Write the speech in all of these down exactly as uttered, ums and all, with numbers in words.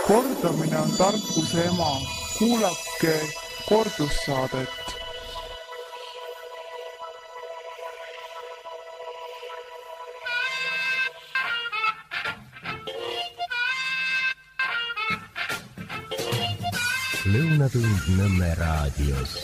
Kordamine on tarkuse ema. Kuulake kordussaadet. Lõunatund Nõmme raadios.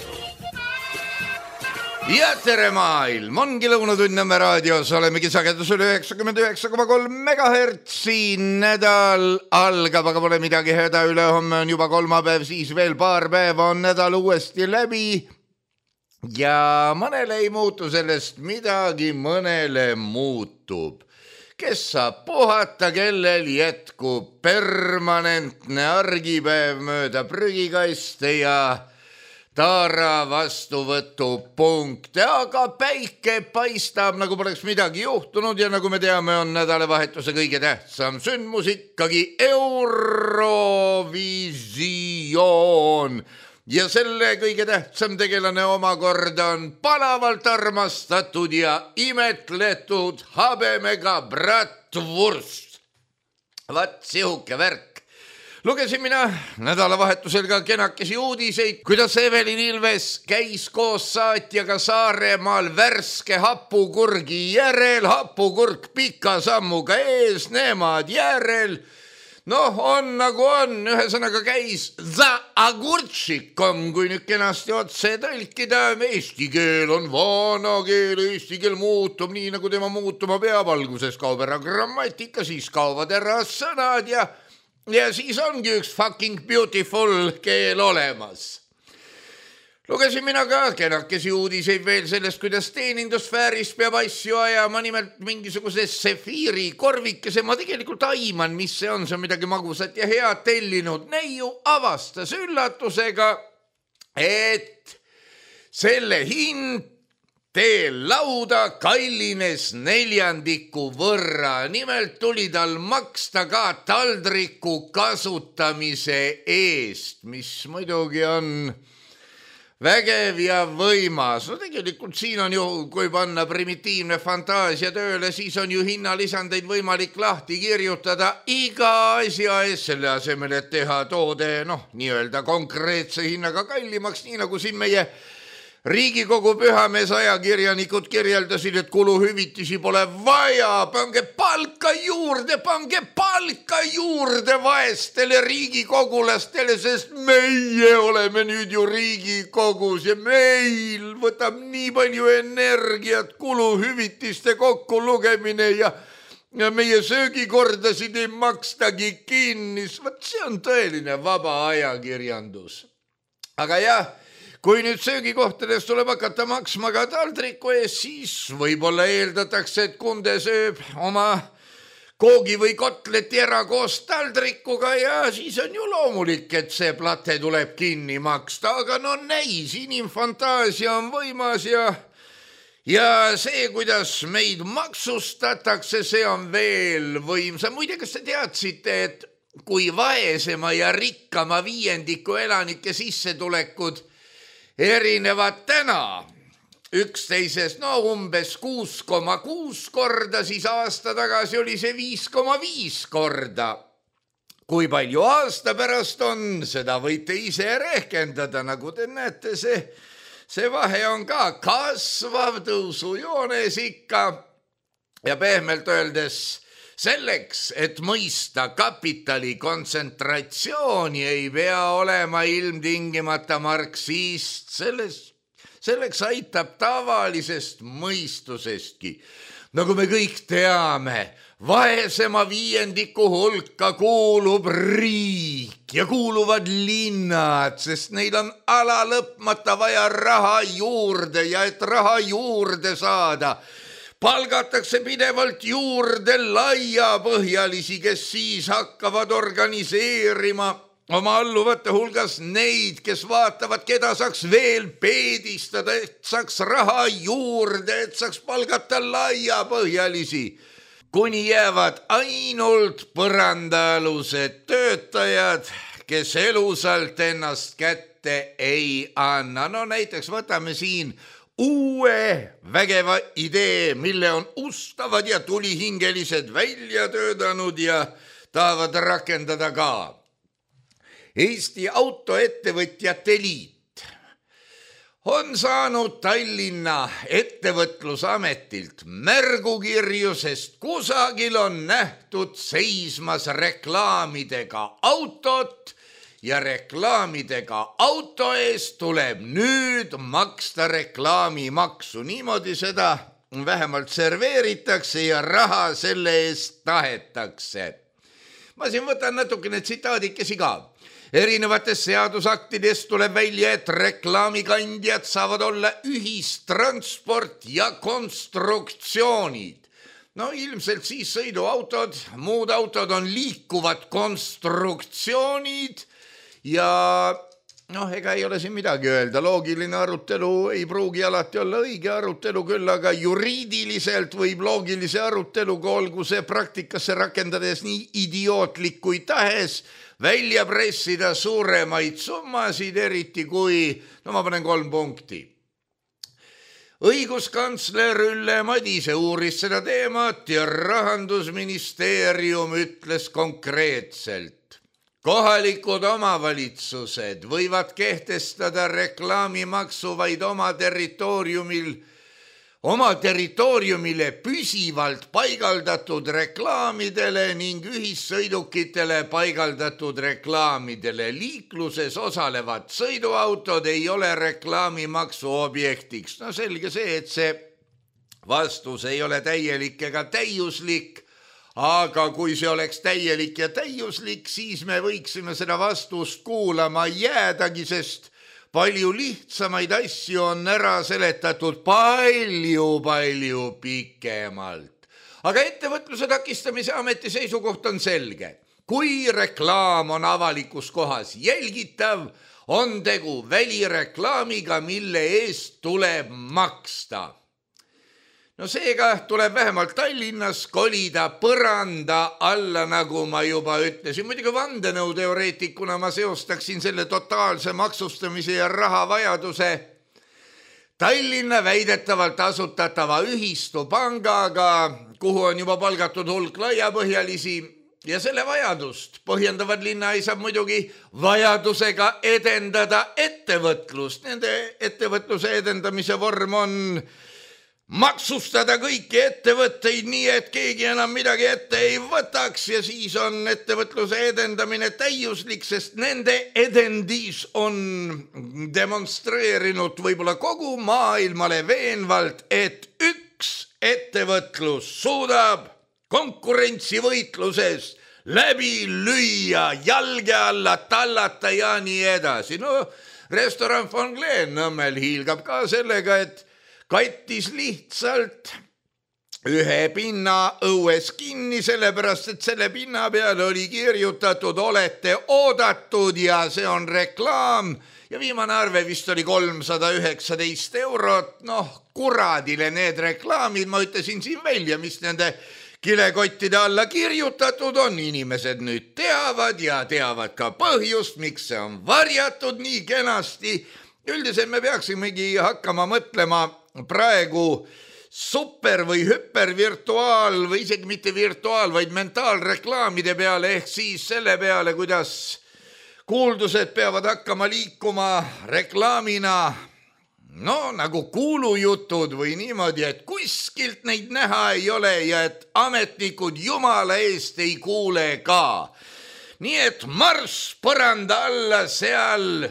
Ja tere maailm, ongi Lõunatund Nõmme raadios, olemegi sagedusel üheksakümmend üheksa koma kolm megahertsi. Nädal algab, aga pole midagi häda, ülehomme on juba kolmapäev, siis veel paar päeva on nädal uuesti läbi. Ja mõnele ei muutu sellest midagi, mõnele muutub. Kes saab puhata, kellel jätkub permanentne argipäev mööda prügikaiste ja taara vastuvõtu punkte, aga päike paistab, nagu poleks midagi juhtunud ja nagu me teame, on nädalavahetuse kõige tähtsam sündmus ikkagi Eurovisioon. Ja selle kõige tähtsam tegelane omakorda on palavalt armastatud ja imetletud habemega bratwurst. Vat sihuke värk. Lugesin mina nädalavahetusel ka kenakesi uudiseid, kuidas Evelin Ilves käis koos saatjaga Saaremaal värske hapukurgi järel, hapukurk pika sammuga ees, nemad järel. Noh, on nagu on, ühesõnaga käis za agurtšikom, kui nüüd kenasti otse tõlkida. Eesti keel on vana keel, eesti keel muutub nii, nagu tema muutuma peab. Alguses kaob ära grammatika, siis kaovad ära sõnad ja, ja siis ongi üks fucking beautiful keel olemas. Lugesin mina ka kenakesi uudiseid veel sellest, kuidas teenindusfääris peab asju ajama, nimelt mingisuguse sefiiri korvikese. Ma tegelikult aiman, mis see on, see on midagi magusat ja head tellinud. Neiu avastas üllatusega, et selle hind teel lauda kallines neljandiku võrra. Nimelt tuli tal maksta ka taldriku kasutamise eest, mis muidugi on vägev ja võimas. No tegelikult siin on ju, kui panna primitiivne fantaasia tööle, siis on ju hinnalisandeid võimalik lahti kirjutada iga asja ees, selle asemel, et teha toode, noh, nii-öelda konkreetse hinnaga kallimaks, nii nagu siin meie Riigikogu pühamees ajakirjanikud kirjeldasid, et kuluhüvitisi pole vaja, pange palka juurde, pange palka juurde vaestele riigikogulastele, sest meie oleme nüüd ju Riigikogus ja meil võtab nii palju energiat kuluhüvitiste kokkulugemine ja, ja meie söögikordasid ei makstagi kinni. Võt see on tõeline vaba ajakirjandus. Aga jah, kui nüüd söögikohtades tuleb hakata maksma ka taldriku ees, siis võib-olla eeldatakse, et kunde sööb oma koogi või kotleti ära koos taldrikuga ja siis on ju loomulik, et see plate tuleb kinni maksta. Aga no näis, inimfantaasia on võimas ja, ja see, kuidas meid maksustatakse, see on veel võimsam. Muide, kas te teadsite, et kui vaesema ja rikkama viiendiku elanike sissetulekud erinevad täna üksteisest, no umbes kuus koma kuus korda, siis aasta tagasi oli see viis koma viis korda. Kui palju aasta pärast on, seda võite ise rehkendada, nagu te näete, see, see vahe on ka kasvav tõusujoones ikka ja pehmelt öeldes selleks, et mõista kapitali kontsentratsiooni, ei pea olema ilmtingimata marksist. Selles, selleks aitab tavalisest mõistusestki. Nagu me kõik teame, vaesema viiendiku hulka kuulub riik ja kuuluvad linnad, sest neil on ala lõpmata vaja raha juurde ja et raha juurde saada, palgatakse pidevalt juurde laiapõhjalisi, kes siis hakkavad organiseerima oma alluvate hulgas neid, kes vaatavad, keda saaks veel peedistada, et saaks raha juurde, et saaks palgata laiapõhjalisi, kuni jäävad ainult põrandaalused töötajad, kes elusalt ennast kätte ei anna. No näiteks võtame siin uue vägeva idee, mille on ustavad ja tulihingelised välja töötanud ja tahavad rakendada ka. Eesti Autoettevõtjate Liit on saanud Tallinna ettevõtlusametilt märgukirju, sest kusagil on nähtud seismas reklaamidega autot ja reklaamidega auto eest tuleb nüüd maksta reklaamimaksu. Niimoodi seda vähemalt serveeritakse ja raha selle eest tahetakse. Ma siin võtan natukene tsitaadikesi ka. Erinevates seadusaktides tuleb välja, et reklaamikandjad saavad olla ühistransport ja konstruktsioonid. No ilmselt siis sõiduautod, muud autod on liikuvad konstruktsioonid ja noh, ega ei ole siin midagi öelda. Loogiline arutelu ei pruugi alati olla õige arutelu, küll aga juriidiliselt võib loogilise aruteluga, olgu see praktikasse rakendades nii idiootlik kui tahes, välja pressida suuremaid summasid, eriti kui, no ma panen kolm punkti. Õiguskantsler Ülle Madise uuris seda teemat ja Rahandusministeerium ütles konkreetselt. Kohalikud omavalitsused võivad kehtestada reklaamimaksu vaid oma territooriumil, oma territooriumile püsivalt paigaldatud reklaamidele ning ühissõidukitele paigaldatud reklaamidele. Liikluses osalevad sõiduautod ei ole reklaamimaksu objektiks. No selge see, et see vastus ei ole täielik ega täiuslik, aga kui see oleks täielik ja täiuslik, siis me võiksime seda vastust kuulama jäädagi, sest palju lihtsamaid asju on ära seletatud palju-palju pikemalt. Aga ettevõtluse takistamise ameti seisukoht on selge. Kui reklaam on avalikus kohas jälgitav, on tegu välireklaamiga, mille eest tuleb maksta. No seega tuleb vähemalt Tallinnas kolida põranda alla, nagu ma juba ütlesin. Muidugi vandenõuteoreetikuna ma seostaksin selle totaalse maksustamise ja rahavajaduse Tallinna väidetavalt asutatava ühistupangaga, kuhu on juba palgatud hulk laiapõhjalisi ja selle vajadust põhjendavad linna ei saa muidugi vajadusega edendada ettevõtlust. Nende ettevõtluse edendamise vorm on maksustada kõiki ettevõtteid nii, et keegi enam midagi ette ei võtaks ja siis on ettevõtluse edendamine täiuslik, sest nende edendis on demonstreerinud võib-olla kogu maailmale veenvalt, et üks ettevõtlus suudab konkurentsivõitluses läbi lüüa, jalge alla tallata ja nii edasi. No, restoran Von Glen Nõmmel hiilgab ka sellega, et kattis lihtsalt ühe pinna õues kinni, sellepärast et selle pinna peale oli kirjutatud olete oodatud ja see on reklaam ja viimane arve vist oli kolmsada üheksateist eurot. Noh, kuradile need reklaamid, ma ütlesin siin välja, mis nende kilekottide alla kirjutatud on. Inimesed nüüd teavad ja teavad ka põhjust, miks see on varjatud nii kenasti. Üldiselt me peaksimegi hakkama mõtlema praegu super või hüpervirtuaal või isegi mitte virtuaal, vaid mentaalreklaamide peale ehk siis selle peale, kuidas kuuldused peavad hakkama liikuma reklaamina, no nagu kuulujutud või niimoodi, et kuskilt neid näha ei ole ja et ametnikud jumala eest ei kuule ka. Nii et marss põranda alla, seal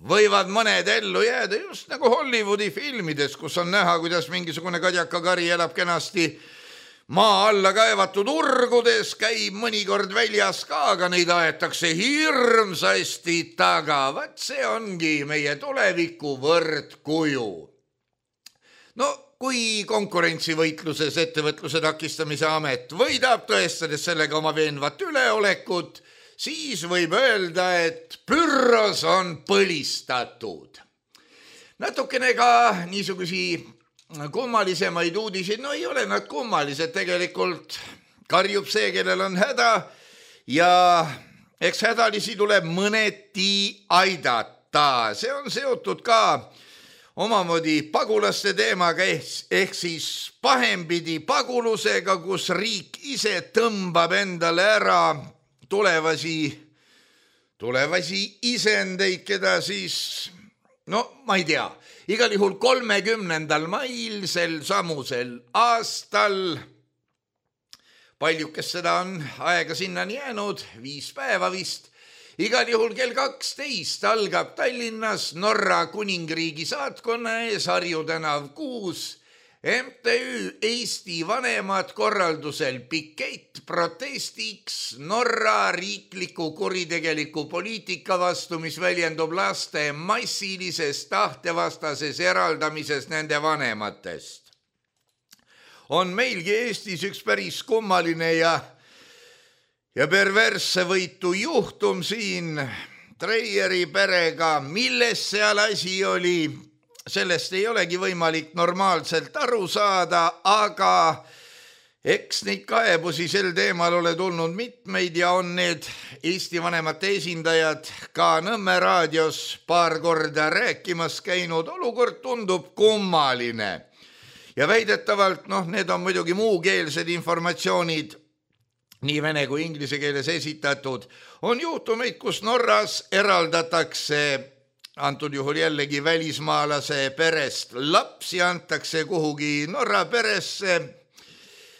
võivad mõned ellu jääda just nagu Hollywoodi filmides, kus on näha, kuidas mingisugune kadjakakari elab kenasti maa alla kaevatud urgudes, käib mõnikord väljas ka, aga neid aetakse hirmsasti taga. Vaat see ongi meie tuleviku võrdkuju. No, kui konkurentsivõitluses ettevõtluse takistamise amet võidab, tõestades sellega oma veenvat üleolekut, siis võib öelda, et pürros on põlistatud. Natukene ka niisugusi kummalisemaid uudiseid, no ei ole nad kummalised, tegelikult karjub see, kellel on häda ja eks hädalisi tuleb mõneti aidata. See on seotud ka omamoodi pagulaste teemaga ehk siis pahempidi pagulusega, kus riik ise tõmbab endale ära tulevasi tulevasi isendeid, keda siis, no ma ei tea, igal juhul kolmekümnendal mail sel samusel aastal, paljukest seda on aega sinnani jäänud, viis päeva vist, igal juhul kell kaksteist algab Tallinnas Norra kuningriigi saatkonna ees Harju tänav kuus M T Ü Eesti vanemad korraldusel pikett protestiks Norra riikliku kuritegeliku poliitika vastu, mis väljendub laste massilises tahtevastases eraldamises nende vanematest. On meilgi Eestis üks päris kummaline ja, ja perversse võitu juhtum siin Treieri perega, milles seal asi oli. Sellest ei olegi võimalik normaalselt aru saada, aga eks neid kaebusi sel teemal ole tulnud mitmeid ja on need Eesti vanemate esindajad ka Nõmme raadios paar korda rääkimas käinud. Olukord tundub kummaline ja väidetavalt, noh, need on muidugi muukeelsed informatsioonid, nii vene kui inglise keeles esitatud, on juhtumeid, kus Norras eraldatakse antud juhul jällegi välismaalase perest lapsi, antakse kuhugi Norra peresse,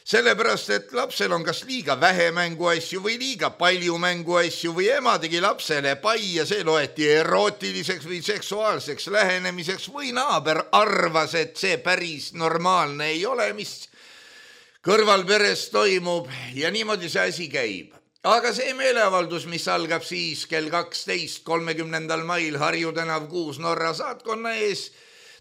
sellepärast, et lapsel on kas liiga vähe mänguasju või liiga palju mänguasju või ema tegi lapsele pai ja see loeti erootiliseks või seksuaalseks lähenemiseks või naaber arvas, et see päris normaalne ei ole, mis kõrvalperes toimub ja niimoodi see asi käib. Aga see meeleavaldus, mis algab siis kell kaksteist kolmekümnendal mail Harju tänav kuus Norra saatkonna ees,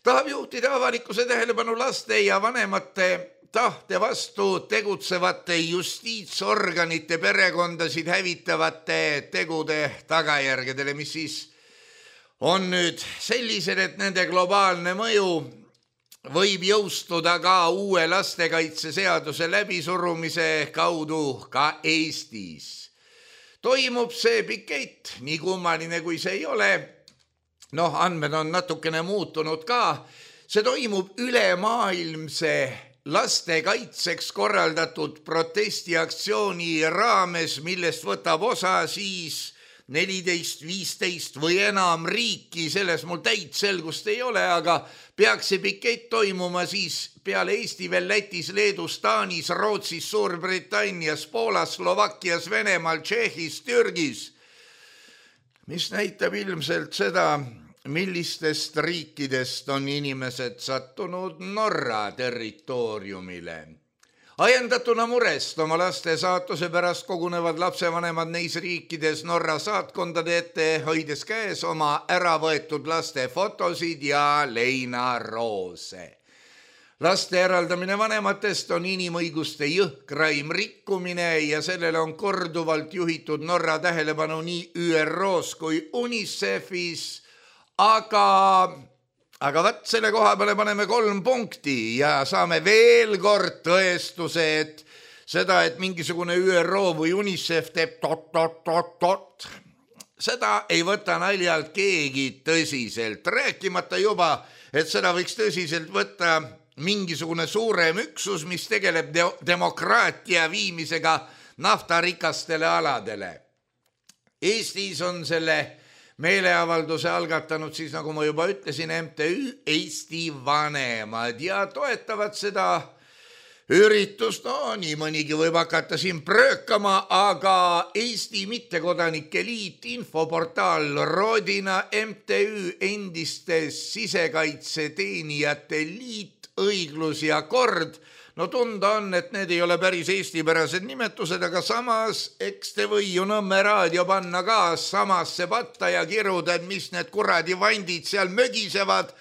tahab juhtida avalikkuse tähelepanu laste ja vanemate tahte vastu tegutsevate justiitsorganite perekondasid hävitavate tegude tagajärgedele, mis siis on nüüd sellised, et nende globaalne mõju võib jõustuda ka uue lastekaitseseaduse läbisurumise kaudu ka Eestis. Toimub see pikett, nii kummaline kui see ei ole, noh, andmed on natukene muutunud ka, see toimub ülemaailmse lastekaitseks korraldatud protestiaktsiooni raames, millest võtab osa siis neliteist, viisteist või enam riiki, selles mul täit selgust ei ole, aga peaks see pikett toimuma siis peale Eesti veel Lätis, Leedus, Taanis, Rootsis, Suurbritannias, Poolas, Slovakkias, Venemaal, Tšehhis, Türgis, mis näitab ilmselt seda, millistest riikidest on inimesed sattunud Norra territooriumile. Ajendatuna murest oma laste saatuse pärast kogunevad lapsevanemad neis riikides Norra saatkondade ette, hoides käes oma äravõetud laste fotosid ja leinaroose. Laste eraldamine vanematest on inimõiguste jõhkraim rikkumine ja sellele on korduvalt juhitud Norra tähelepanu nii Ü R Os kui UNICEFis, aga... Aga vaat selle koha peale paneme kolm punkti ja saame veel kord tõestuse, et seda, et mingisugune Ü R O või UNICEF teeb tot-tot-tot-tot, seda ei võta naljalt keegi tõsiselt. Rääkimata juba, et seda võiks tõsiselt võtta mingisugune suurem üksus, mis tegeleb de- demokraatia viimisega naftarikastele aladele. Eestis on selle meeleavalduse algatanud siis, nagu ma juba ütlesin, M T Ü Eesti vanemad ja toetavad seda üritust. No nii mõnigi võib hakata siin pröökama, aga Eesti mittekodanike liit, infoportaal Rodina, M T Ü endiste sisekaitseteenijate liit, õiglus ja kord. No tunda on, et need ei ole päris eestipärased nimetused, aga samas eks te või ju Nõmme raadio panna ka samasse patta ja kiruda, et mis need kuradi vandid seal mögisevad.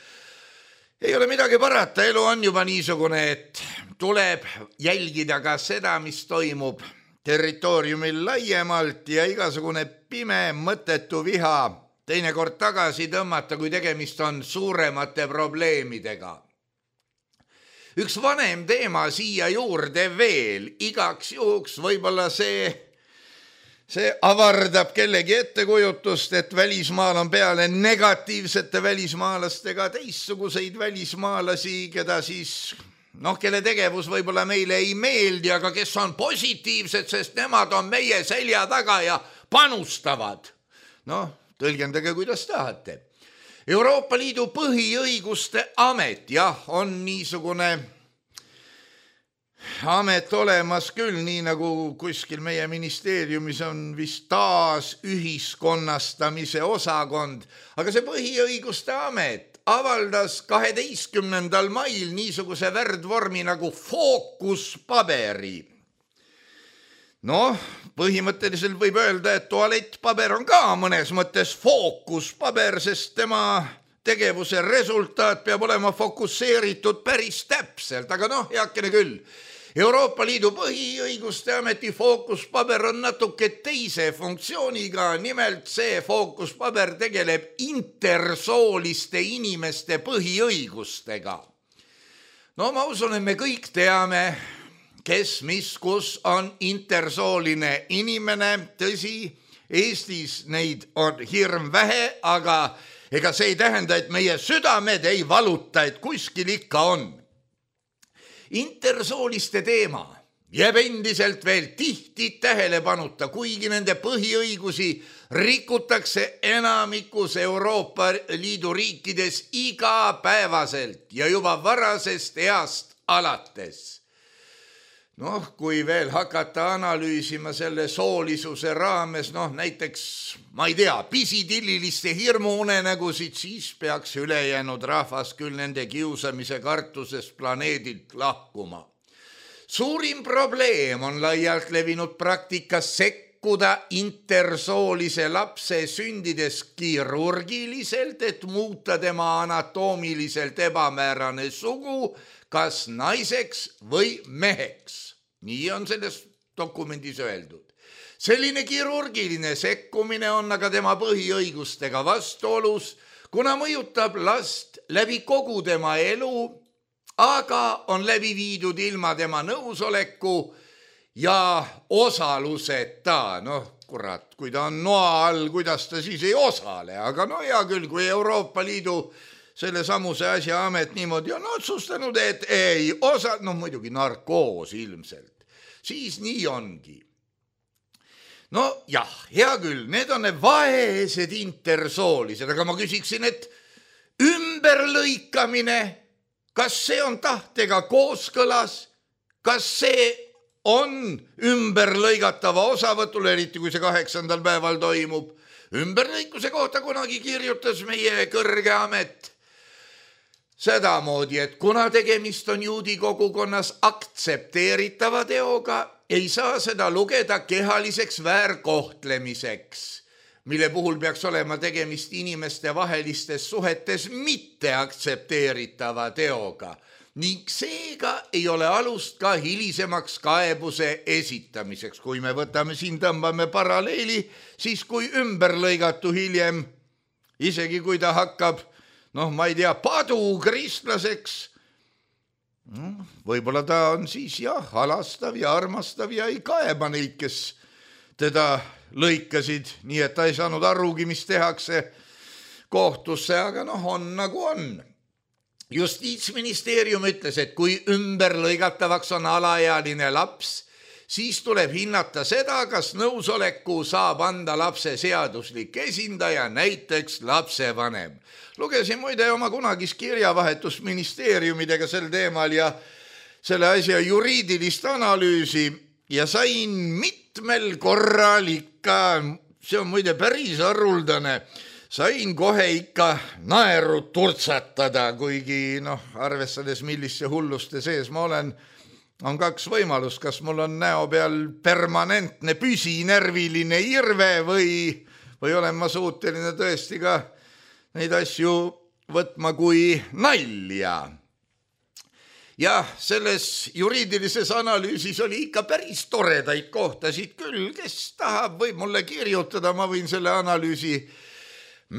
Ei ole midagi parata, elu on juba niisugune, et tuleb jälgida ka seda, mis toimub territooriumil laiemalt ja igasugune pime mõttetu viha teinekord tagasi tõmmata, kui tegemist on suuremate probleemidega. Üks vanem teema siia juurde veel, igaks juhuks võib-olla see, see avardab kellegi ettekujutust, et välismaal on peale negatiivsete välismaalastega teistsuguseid välismaalasi, keda siis, noh, kelle tegevus võib-olla meile ei meeldi, aga kes on positiivsed, sest nemad on meie selja taga ja panustavad. noh, tõlgendage, kuidas tahate. Euroopa Liidu põhiõiguste amet, jah, on niisugune amet olemas küll, nii nagu kuskil meie ministeeriumis on vist taas ühiskonnastamise osakond, aga see põhiõiguste amet avaldas kaheteistkümnendal mail niisuguse värdvormi nagu fookuspaberi. Noh, põhimõtteliselt võib öelda, et tualettpaber on ka mõnes mõttes fookuspaber, sest tema tegevuse resultaat peab olema fokusseeritud päris täpselt, aga noh, heakene küll. Euroopa Liidu põhiõiguste ameti fookuspaber on natuke teise funktsiooniga, nimelt see fookuspaber tegeleb intersooliste inimeste põhiõigustega. No ma usun, et me kõik teame, kes, mis, kus on intersooline inimene, tõsi, Eestis neid on hirm vähe, aga ega see ei tähenda, et meie südamed ei valuta, et kuskil ikka on. Intersooliste teema jääb endiselt veel tihti tähelepanuta, kuigi nende põhiõigusi rikutakse enamikus Euroopa Liidu riikides igapäevaselt ja juba varasest east alates. Noh, kui veel hakata analüüsima selle soolisuse raames, noh näiteks, ma ei tea, pisidilliliste hirmuunenägusid, siis peaks ülejäänud rahvas küll nende kiusamise kartusest planeedilt lahkuma. Suurim probleem on laialt levinud praktikas sekkuda intersoolise lapse sündides kirurgiliselt, et muuta tema anatoomiliselt ebamäärane sugu, kas naiseks või meheks. Nii on selles dokumendis öeldud. Selline kirurgiline sekkumine on aga tema põhiõigustega vastuolus, kuna mõjutab last läbi kogu tema elu, aga on läbi viidud ilma tema nõusoleku ja osaluseta. Noh, kurat, kui ta on noa all, kuidas ta siis ei osale, aga no hea küll, kui Euroopa Liidu selle samuse asja amet niimoodi on otsustanud, et ei osa, no muidugi narkoos ilmselt, siis nii ongi. No jah, hea küll, need on need vaesed intersoolised, aga ma küsiksin, et ümberlõikamine, kas see on tahtega kooskõlas, kas see on ümberlõigatava osavõtul, eriti kui see kaheksandal päeval toimub. Ümberlõikuse kohta kunagi kirjutas meie kõrge amet sedamoodi, et kuna tegemist on juudi kogukonnas aktsepteeritava teoga, ei saa seda lugeda kehaliseks väärkohtlemiseks, mille puhul peaks olema tegemist inimeste vahelistes suhetes mitte aktsepteeritava teoga. Ning seega ei ole alust ka hilisemaks kaebuse esitamiseks. Kui me võtame siin, tõmbame paralleeli, siis kui ümberlõigatu hiljem, isegi kui ta hakkab noh, ma ei tea, padu kristlaseks, võib-olla ta on siis jah, halastav ja armastav ja ei kaeba neid, kes teda lõikasid, nii et ta ei saanud arugi, mis tehakse kohtusse, aga noh, on nagu on. Justiitsministeerium ütles, et kui ümberlõigatavaks on alaealine laps, siis tuleb hinnata seda, kas nõusoleku saab anda lapse seaduslik esindaja, näiteks lapsevanem. Lugesin muide oma kunagist kirjavahetust ministeeriumidega sel teemal ja selle asja juriidilist analüüsi ja sain mitmel korral ikka, see on muide päris haruldane, sain kohe ikka naeru turtsatada, kuigi noh, arvestades millise hulluste sees ma olen, on kaks võimalust, kas mul on näo peal permanentne püsinärviline irve või, või olen ma suuteline tõesti ka neid asju võtma kui nalja. Jah, selles juriidilises analüüsis oli ikka päris toredaid kohtasid küll, kes tahab, võib mulle kirjutada, ma võin selle analüüsi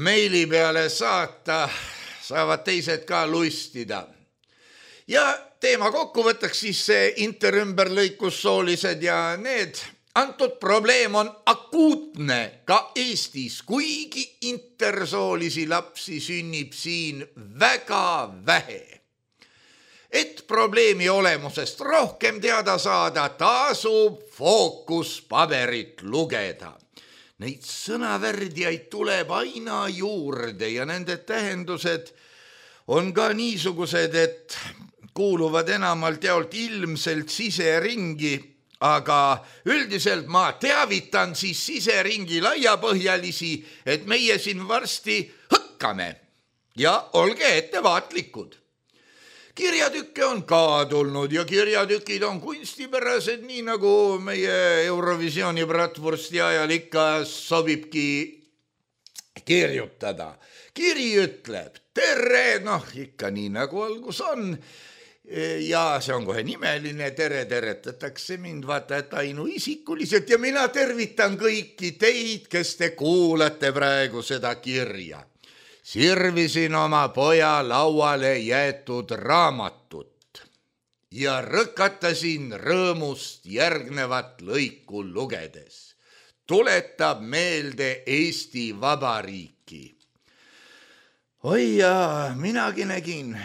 meili peale saata, saavad teised ka lustida. Ja teema kokkuvõttaks siis see interümberlõikussoolised ja need antud probleem on akuutne ka Eestis, kuigi intersoolisi lapsi sünnib siin väga vähe. Et probleemi olemusest rohkem teada saada, tasub fookuspaberit lugeda. neid sõnavärdjaid tuleb aina juurde ja nende tähendused on ka niisugused, et kuuluvad enamalt jaolt ilmselt siseringi, aga üldiselt ma teavitan siis siseringi laiapõhjalisi, et meie siin varsti hõkkame ja olge ettevaatlikud. Kirjatükke on ka tulnud ja kirjatükid on kunstipärased, nii nagu meie Eurovisiooni bratwursti ajal ikka sobibki kirjutada. Kiri ütleb, tere, noh ikka nii nagu algus on ja see on kohe nimeline, tere teretatakse mind vaata, et ainuisikuliselt ja mina tervitan kõiki teid, kes te kuulate praegu seda kirja. Sirvisin oma poja lauale jäetud raamatut ja rõkatasin rõõmust järgnevat lõiku lugedes. Tuletab meelde Eesti Vabariiki. Oi jaa, minagi nägin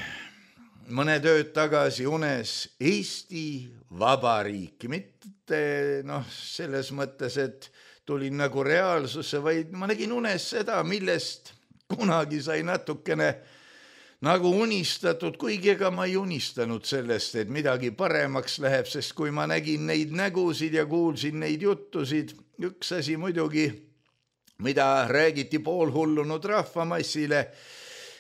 mõned ööd tagasi unes Eesti Vabariiki. Mitte noh, selles mõttes, et tulin nagu reaalsusse, vaid ma nägin unes seda, millest kunagi sai natukene nagu unistatud, kuigi ega ma ei unistanud sellest, et midagi paremaks läheb, sest kui ma nägin neid nägusid ja kuulsin neid juttusid, üks asi muidugi, mida räägiti poolhullunud rahvamassile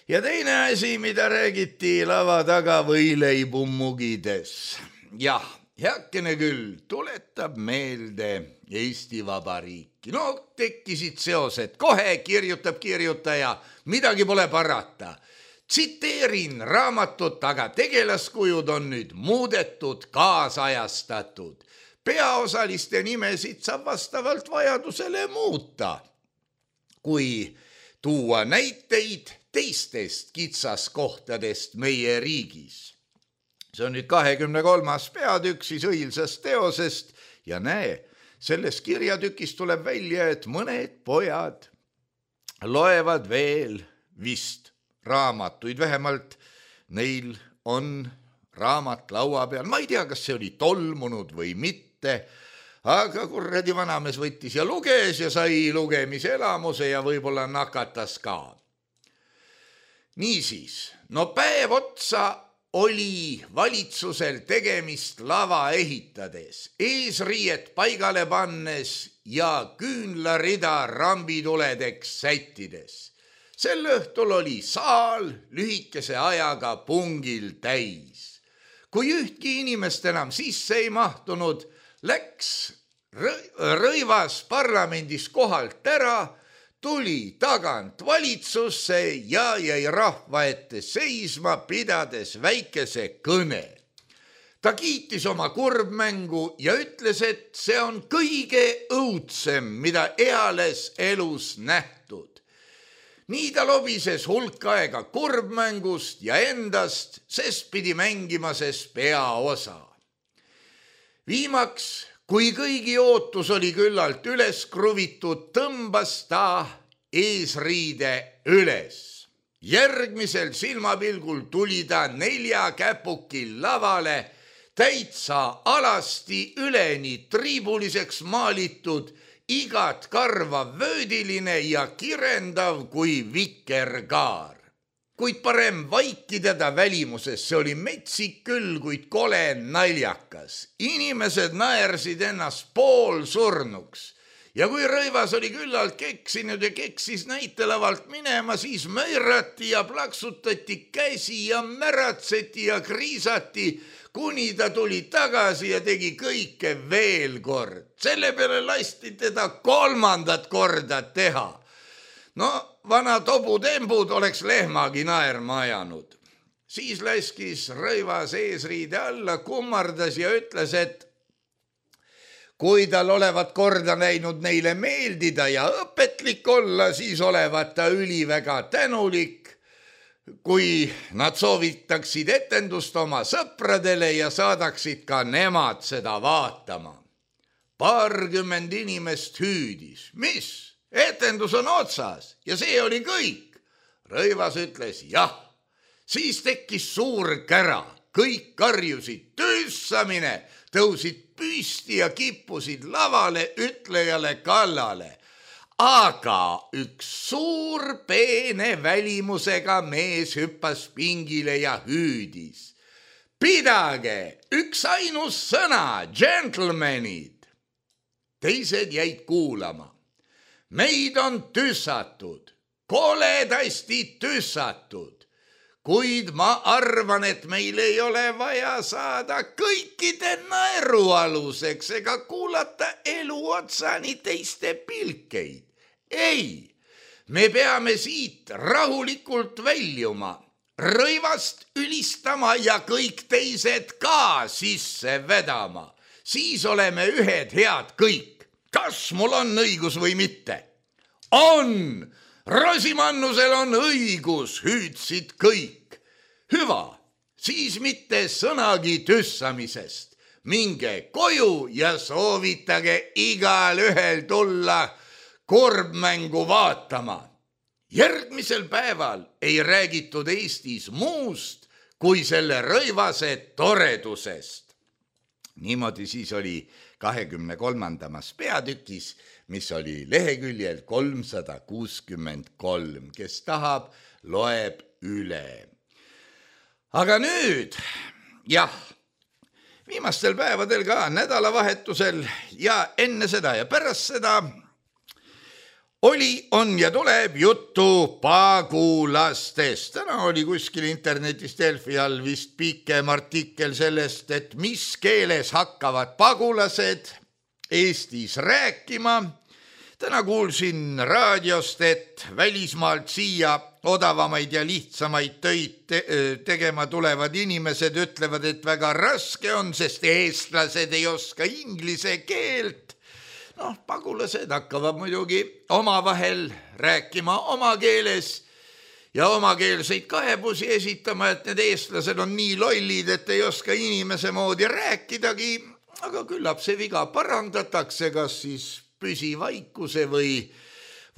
ja teine asi, mida räägiti lava taga võileibu mugides. Jah, heakene küll, tuletab meelde Eesti Vabariiki. No tekkisid seosed, kohe kirjutab kirjutaja, midagi pole parata. Tsiteerin raamatut, aga tegelaskujud on nüüd muudetud, kaasajastatud. Peaosaliste nimesid saab vastavalt vajadusele muuta. Kui tuua näiteid teistest kitsaskohtadest meie riigis. See on nüüd kahekümne kolmas peatükk siis õilsast teosest ja näe, selles kirjatükis tuleb välja, et mõned pojad loevad veel vist raamatuid, vähemalt neil on raamat laua peal. Ma ei tea, kas see oli tolmunud või mitte, aga kurradi vanamees võttis ja luges ja sai lugemise elamuse ja võib-olla nakatas ka. Niisiis, no päev otsa oli valitsusel tegemist lava ehitades, eesriiet paigale pannes ja küünlarida rambituledeks sättides. Sel õhtul oli saal lühikese ajaga pungil täis. Kui ühtki inimest enam sisse ei mahtunud, läks Rõivas parlamendis kohalt ära, tuli tagant valitsusse ja jäi rahva ette seisma, pidades väikese kõne. Ta kiitis oma kurbmängu ja ütles, et see on kõige õudsem, mida eales elus nähtud. Nii ta lobises hulk aega kurbmängust ja endast, sest pidi mängima ses peaosa. Viimaks, kui kõigi ootus oli küllalt üles kruvitud, tõmbas ta eesriide üles. Järgmisel silmapilgul tuli ta nelja käpukil lavale, täitsa alasti üleni triibuliseks maalitud, igat karvav vöödiline ja kirendav kui vikerkaar. Kuid parem vaikida välimuses, see oli metsik küll, kuid kole naljakas. Inimesed naersid ennast pool surnuks. Ja kui Rõivas oli küllalt keksinud ja keksis näitelavalt minema, siis möirati ja plaksutati käsi ja märatseti ja kriisati, kuni ta tuli tagasi ja tegi kõike veel kord. Selle peale lasti teda kolmandat korda teha. No, vana tobutembud oleks lehmagi naerma ajanud. Siis laskis Rõivas eesriide alla, kummardas ja ütles, et kui tal olevat korda näinud neile meeldida ja õpetlik olla, siis olevat ta üliväga tänulik, kui nad soovitaksid etendust oma sõpradele ja saadaksid ka nemad seda vaatama. Paarkümmend inimest hüüdis. Mis? Etendus on otsas ja see oli kõik. Rõivas ütles jah. Siis tekkis suur kära. Kõik karjusid tüssamine, tõusid püsti ja kippusid lavale ütlejale kallale. aga üks suur peene välimusega mees hüppas pingile ja hüüdis. Pidage, üks ainus sõna, gentlemanid. Teised jäid kuulama. Meid on tüssatud, koledasti tüssatud. Kuid ma arvan, et meil ei ole vaja saada kõikide naerualuseks ega kuulata elu otsani teiste pilkeid. Ei, me peame siit rahulikult väljuma, rõivast ülistama ja kõik teised ka sisse vedama. Siis oleme ühed head kõik. Kas mul on õigus või mitte? On! Rosimannusel on õigus, hüüdsid kõik. Hüva, siis mitte sõnagi tüssamisest. Minge koju ja soovitage igal ühel tulla korbmängu vaatama. Järgmisel päeval ei räägitud Eestis muust kui selle rõivase toredusest. Niimoodi siis oli kahekümne kolmandamas peatükis, mis oli leheküljel kolmsada kuuskümmend kolm. Kes tahab, loeb üle. Aga nüüd, jah, viimastel päevadel ka nädalavahetusel ja enne seda ja pärast seda oli, on ja tuleb juttu pagulastest. Täna oli kuskil internetis Delfi all vist pikem artikkel sellest, et mis keeles hakkavad pagulased Eestis rääkima. Täna kuulsin raadiost, et välismaalt siia odavamaid ja lihtsamaid töid te tegema tulevad inimesed ütlevad, et väga raske on, sest eestlased ei oska inglise keelt. Noh, pagulased hakkavad muidugi omavahel rääkima oma keeles ja omakeelseid kaebusi esitama, et need eestlased on nii lollid, et ei oska inimese moodi rääkidagi, aga küllap see viga parandatakse, kas siis püsivaikuse või,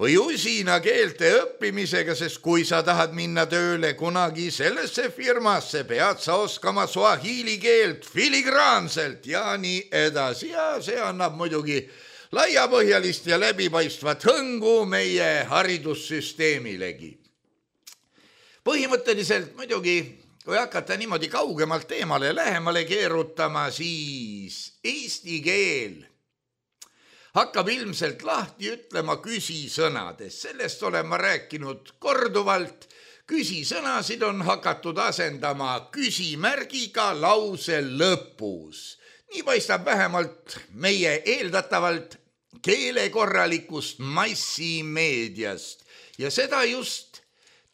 või usina keelte õppimisega, sest kui sa tahad minna tööle kunagi sellesse firmasse, pead sa oskama suahiili keelt filigraanselt ja nii edasi. Ja see annab muidugi laiapõhjalist ja läbipaistvat hõngu meie haridussüsteemilegi. Põhimõtteliselt muidugi, kui hakata niimoodi kaugemalt teemale lähemale keerutama, siis eesti keel hakkab ilmselt lahti ütlema küsisõnades. Sellest olen ma rääkinud korduvalt. Küsisõnasid on hakatud asendama küsimärgiga lause lõpus. Nii paistab vähemalt meie eeldatavalt keelekorralikust massimeediast ja seda just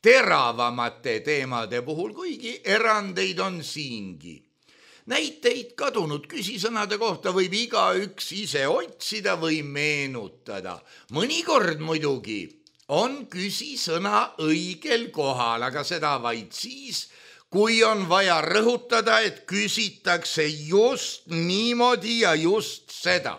teravamate teemade puhul, kuigi erandeid on siingi. Näiteid kadunud küsisõnade kohta võib igaüks ise otsida või meenutada. Mõnikord muidugi on küsisõna õigel kohal, aga seda vaid siis, kui on vaja rõhutada, et küsitakse just niimoodi ja just seda.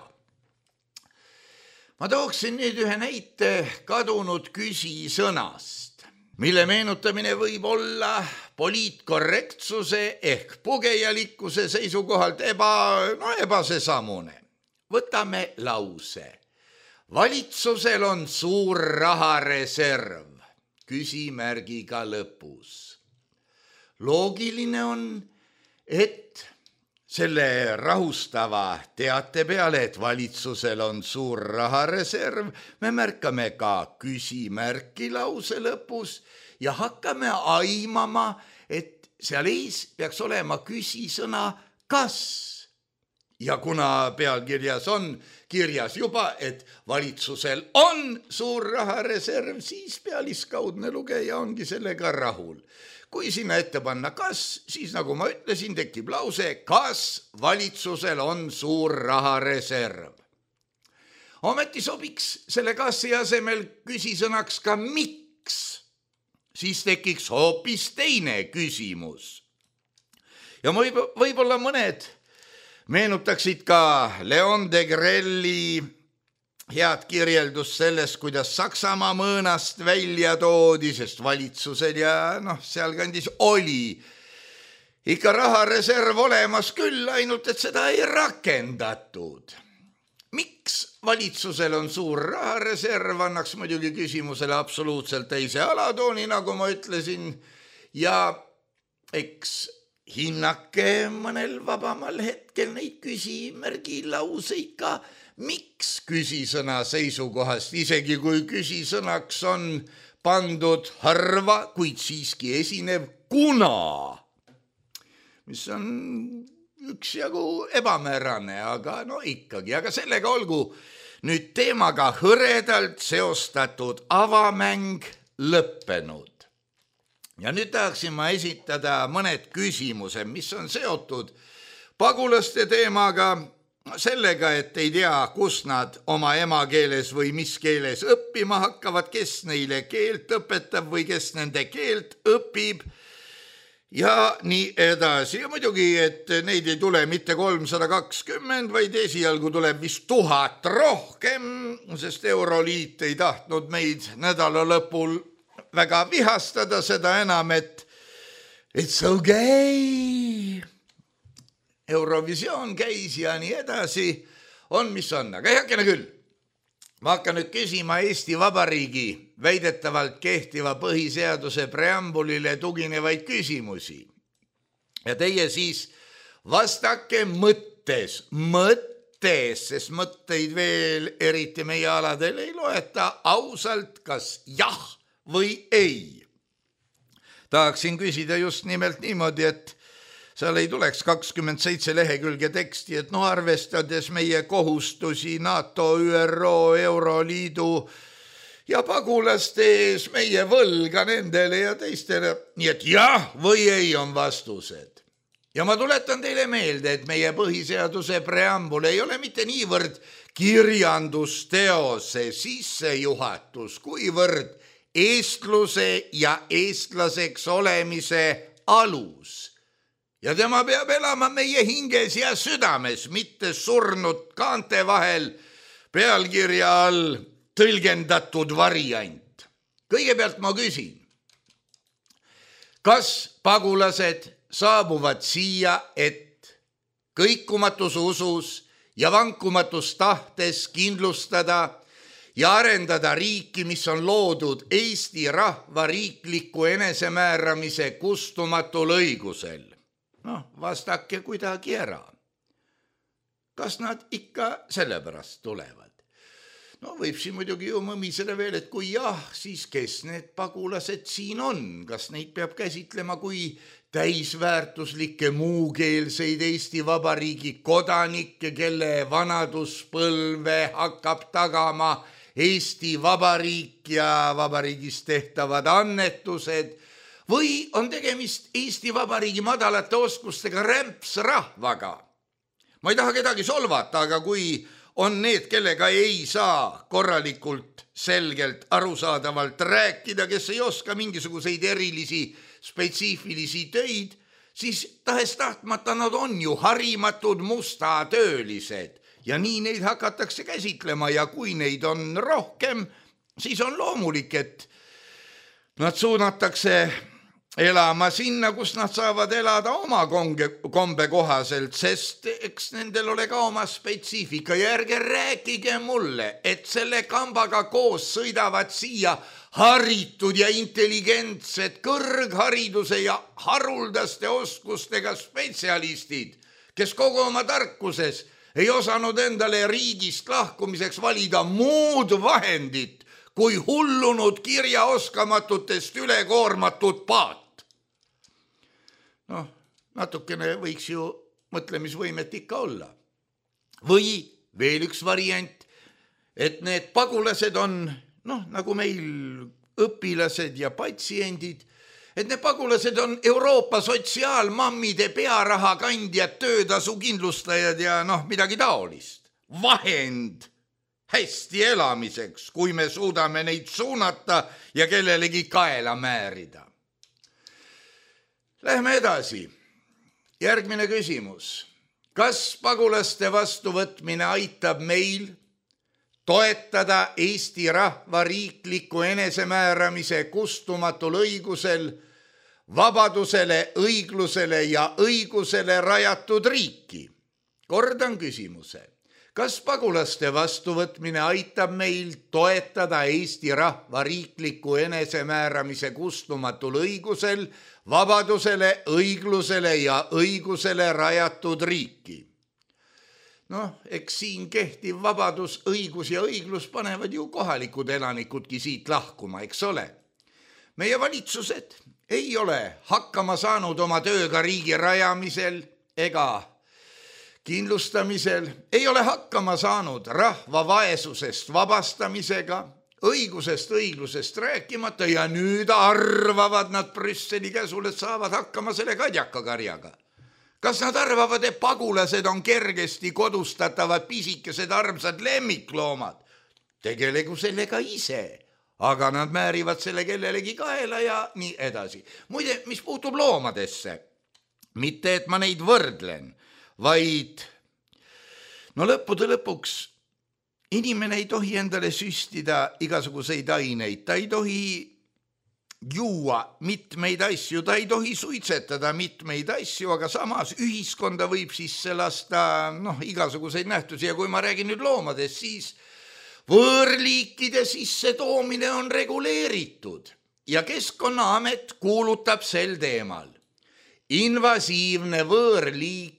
Ma tooksin nüüd ühe näite kadunud küsisõnast, mille meenutamine võib olla poliitkorrektsuse ehk pugejalikkuse seisukohalt eba, no ebasesamune. Võtame lause. Valitsusel on suur rahareserv, küsimärgiga lõpus. Loogiline on, et selle rahustava teate peale, et valitsusel on suur rahareserv, me märkame ka küsimärki lause lõpus ja hakkame aimama, et seal ees peaks olema küsisõna kas. Ja kuna pealkirjas on kirjas juba, et valitsusel on suur rahareserv, siis pealiskaudne lugeja ongi sellega rahul. Kui sinna ette panna kas, siis nagu ma ütlesin, tekib lause, kas valitsusel on suur rahareserv. Ometi sobiks selle kassi asemel küsisõnaks ka miks. Siis tekiks hoopis teine küsimus. Ja võib, võib-olla mõned meenutaksid ka Leon de Grelli head kirjeldus sellest, kuidas Saksamaa mõõnast välja toodi, sest valitsusel ja noh, sealkandis oli ikka rahareserv olemas küll, ainult et seda ei rakendatud. miks valitsusel on suur rahareserv, annaks muidugi küsimusele absoluutselt teise alatooni, nagu ma ütlesin, ja eks hinnake mõnel vabamal hetkel neid küsimärgi lauseid ka, miks küsisõna seisukohast, isegi kui küsisõnaks on pandud harva, kuid siiski esinev kuna, mis on üksjagu ebamäärane, aga no ikkagi, aga sellega olgu nüüd teemaga hõredalt seostatud avamäng lõppenud. Ja nüüd tahaksin ma esitada mõned küsimused, mis on seotud pagulaste teemaga, sellega, et ei tea, kus nad oma emakeeles või mis keeles õppima hakkavad, kes neile keelt õpetab või kes nende keelt õpib ja nii edasi. Ja muidugi, et neid ei tule mitte kolmsada kakskümmend, vaid esialgu tuleb vist tuhat rohkem, sest Euroliit ei tahtnud meid nädala lõpul väga vihastada, seda enam, et it's okay. Eurovisioon käis ja nii edasi, on mis on, aga heakene küll. Ma hakkan nüüd küsima Eesti Vabariigi väidetavalt kehtiva põhiseaduse preambulile tuginevaid küsimusi. Ja teie siis vastake mõttes, mõttes, sest mõtteid veel eriti meie aladel ei loeta, ausalt kas jah või ei. Tahaksin küsida just nimelt niimoodi, et seal ei tuleks kakskümmend seitse lehekülge teksti, et no arvestades meie kohustusi NATO, ÜRO, Euroliidu ja pagulaste ees meie võlga nendele ja teistele. Nii et jah või ei on vastused. Ja ma tuletan teile meelde, et meie põhiseaduse preambul ei ole mitte niivõrd kirjandusteose sissejuhatus, kuivõrd eestluse ja eestlaseks olemise alus. Ja tema peab elama meie hinges ja südames, mitte surnud kaante vahel pealkirja all tõlgendatud variant. Kõigepealt ma küsin, kas pagulased saabuvad siia, et kõikumatus usus ja vankumatus tahtes kindlustada ja arendada riiki, mis on loodud Eesti rahva riikliku enesemääramise kustumatul õigusel? Noh, vastake kuidagi ära. Kas nad ikka sellepärast tulevad? No võib siin muidugi ju mõmisele veel, et kui jah, siis kes need pagulased siin on? Kas neid peab käsitlema kui täisväärtuslikke muukeelseid Eesti Vabariigi kodanikke, kelle vanaduspõlve hakkab tagama Eesti Vabariik ja vabariigis tehtavad annetused, või on tegemist Eesti Vabariigi madalate oskustega rämpsrahvaga? Ma ei taha kedagi solvata, aga kui on need, kellega ei saa korralikult, selgelt, arusaadavalt rääkida, kes ei oska mingisuguseid erilisi, spetsiifilisi töid, siis tahes tahtmata nad on ju harimatud mustatöölised ja nii neid hakatakse käsitlema ja kui neid on rohkem, siis on loomulik, et nad suunatakse elama sinna, kus nad saavad elada oma kombe kohaselt, sest eks nendel ole ka oma spetsiifika ja ärge rääkige mulle, et selle kambaga koos sõidavad siia haritud ja intelligentsed kõrghariduse ja haruldaste oskustega spetsialistid, kes kogu oma tarkuses ei osanud endale riigist lahkumiseks valida muud vahendit kui hullunud kirjaoskamatutest ülekoormatud paat. Noh, natukene võiks ju mõtlemisvõimet ikka olla. Või veel üks variant, et need pagulased on, noh, nagu meil õpilased ja patsiendid, et need pagulased on Euroopa sotsiaalmammide pearaha kandjad, töötasu kindlustajad ja noh, midagi taolist. Vahend hästi elamiseks, kui me suudame neid suunata ja kellelegi kaela määrida. Lähme edasi. Järgmine küsimus. Kas pagulaste vastuvõtmine aitab meil toetada Eesti rahva riikliku enesemääramise kustumatul õigusel, vabadusele, õiglusele ja õigusele rajatud riiki? Kordan küsimuse. Kas pagulaste vastuvõtmine aitab meil toetada Eesti rahva riikliku enesemääramise kustumatul õigusel, vabadusele, õiglusele ja õigusele rajatud riiki? Noh, eks siin kehtiv vabadus, õigus ja õiglus panevad ju kohalikud elanikudki siit lahkuma, eks ole. Meie valitsused ei ole hakkama saanud oma tööga riigi rajamisel ega kindlustamisel, ei ole hakkama saanud rahva vaesusest vabastamisega, õigusest, õiglusest rääkimata ja nüüd arvavad nad Brüsseli käsul, et saavad hakkama selle kadjakakarjaga. Kas nad arvavad, et pagulased on kergesti kodustatavad pisikesed armsad lemmikloomad? Tegelegu sellega ise, aga nad määrivad selle kellelegi kaela ja nii edasi. Muide, mis puutub loomadesse, mitte et ma neid võrdlen, vaid no lõppude lõpuks inimene ei tohi endale süstida igasuguseid aineid, ta ei tohi juua mitmeid asju, ta ei tohi suitsetada mitmeid asju, aga samas ühiskonda võib sisse lasta noh, igasuguseid nähtusi ja kui ma räägin nüüd loomadest, siis võõrliikide sisse toomine on reguleeritud ja Keskkonnaamet kuulutab sel teemal. Invasiivne võõrliik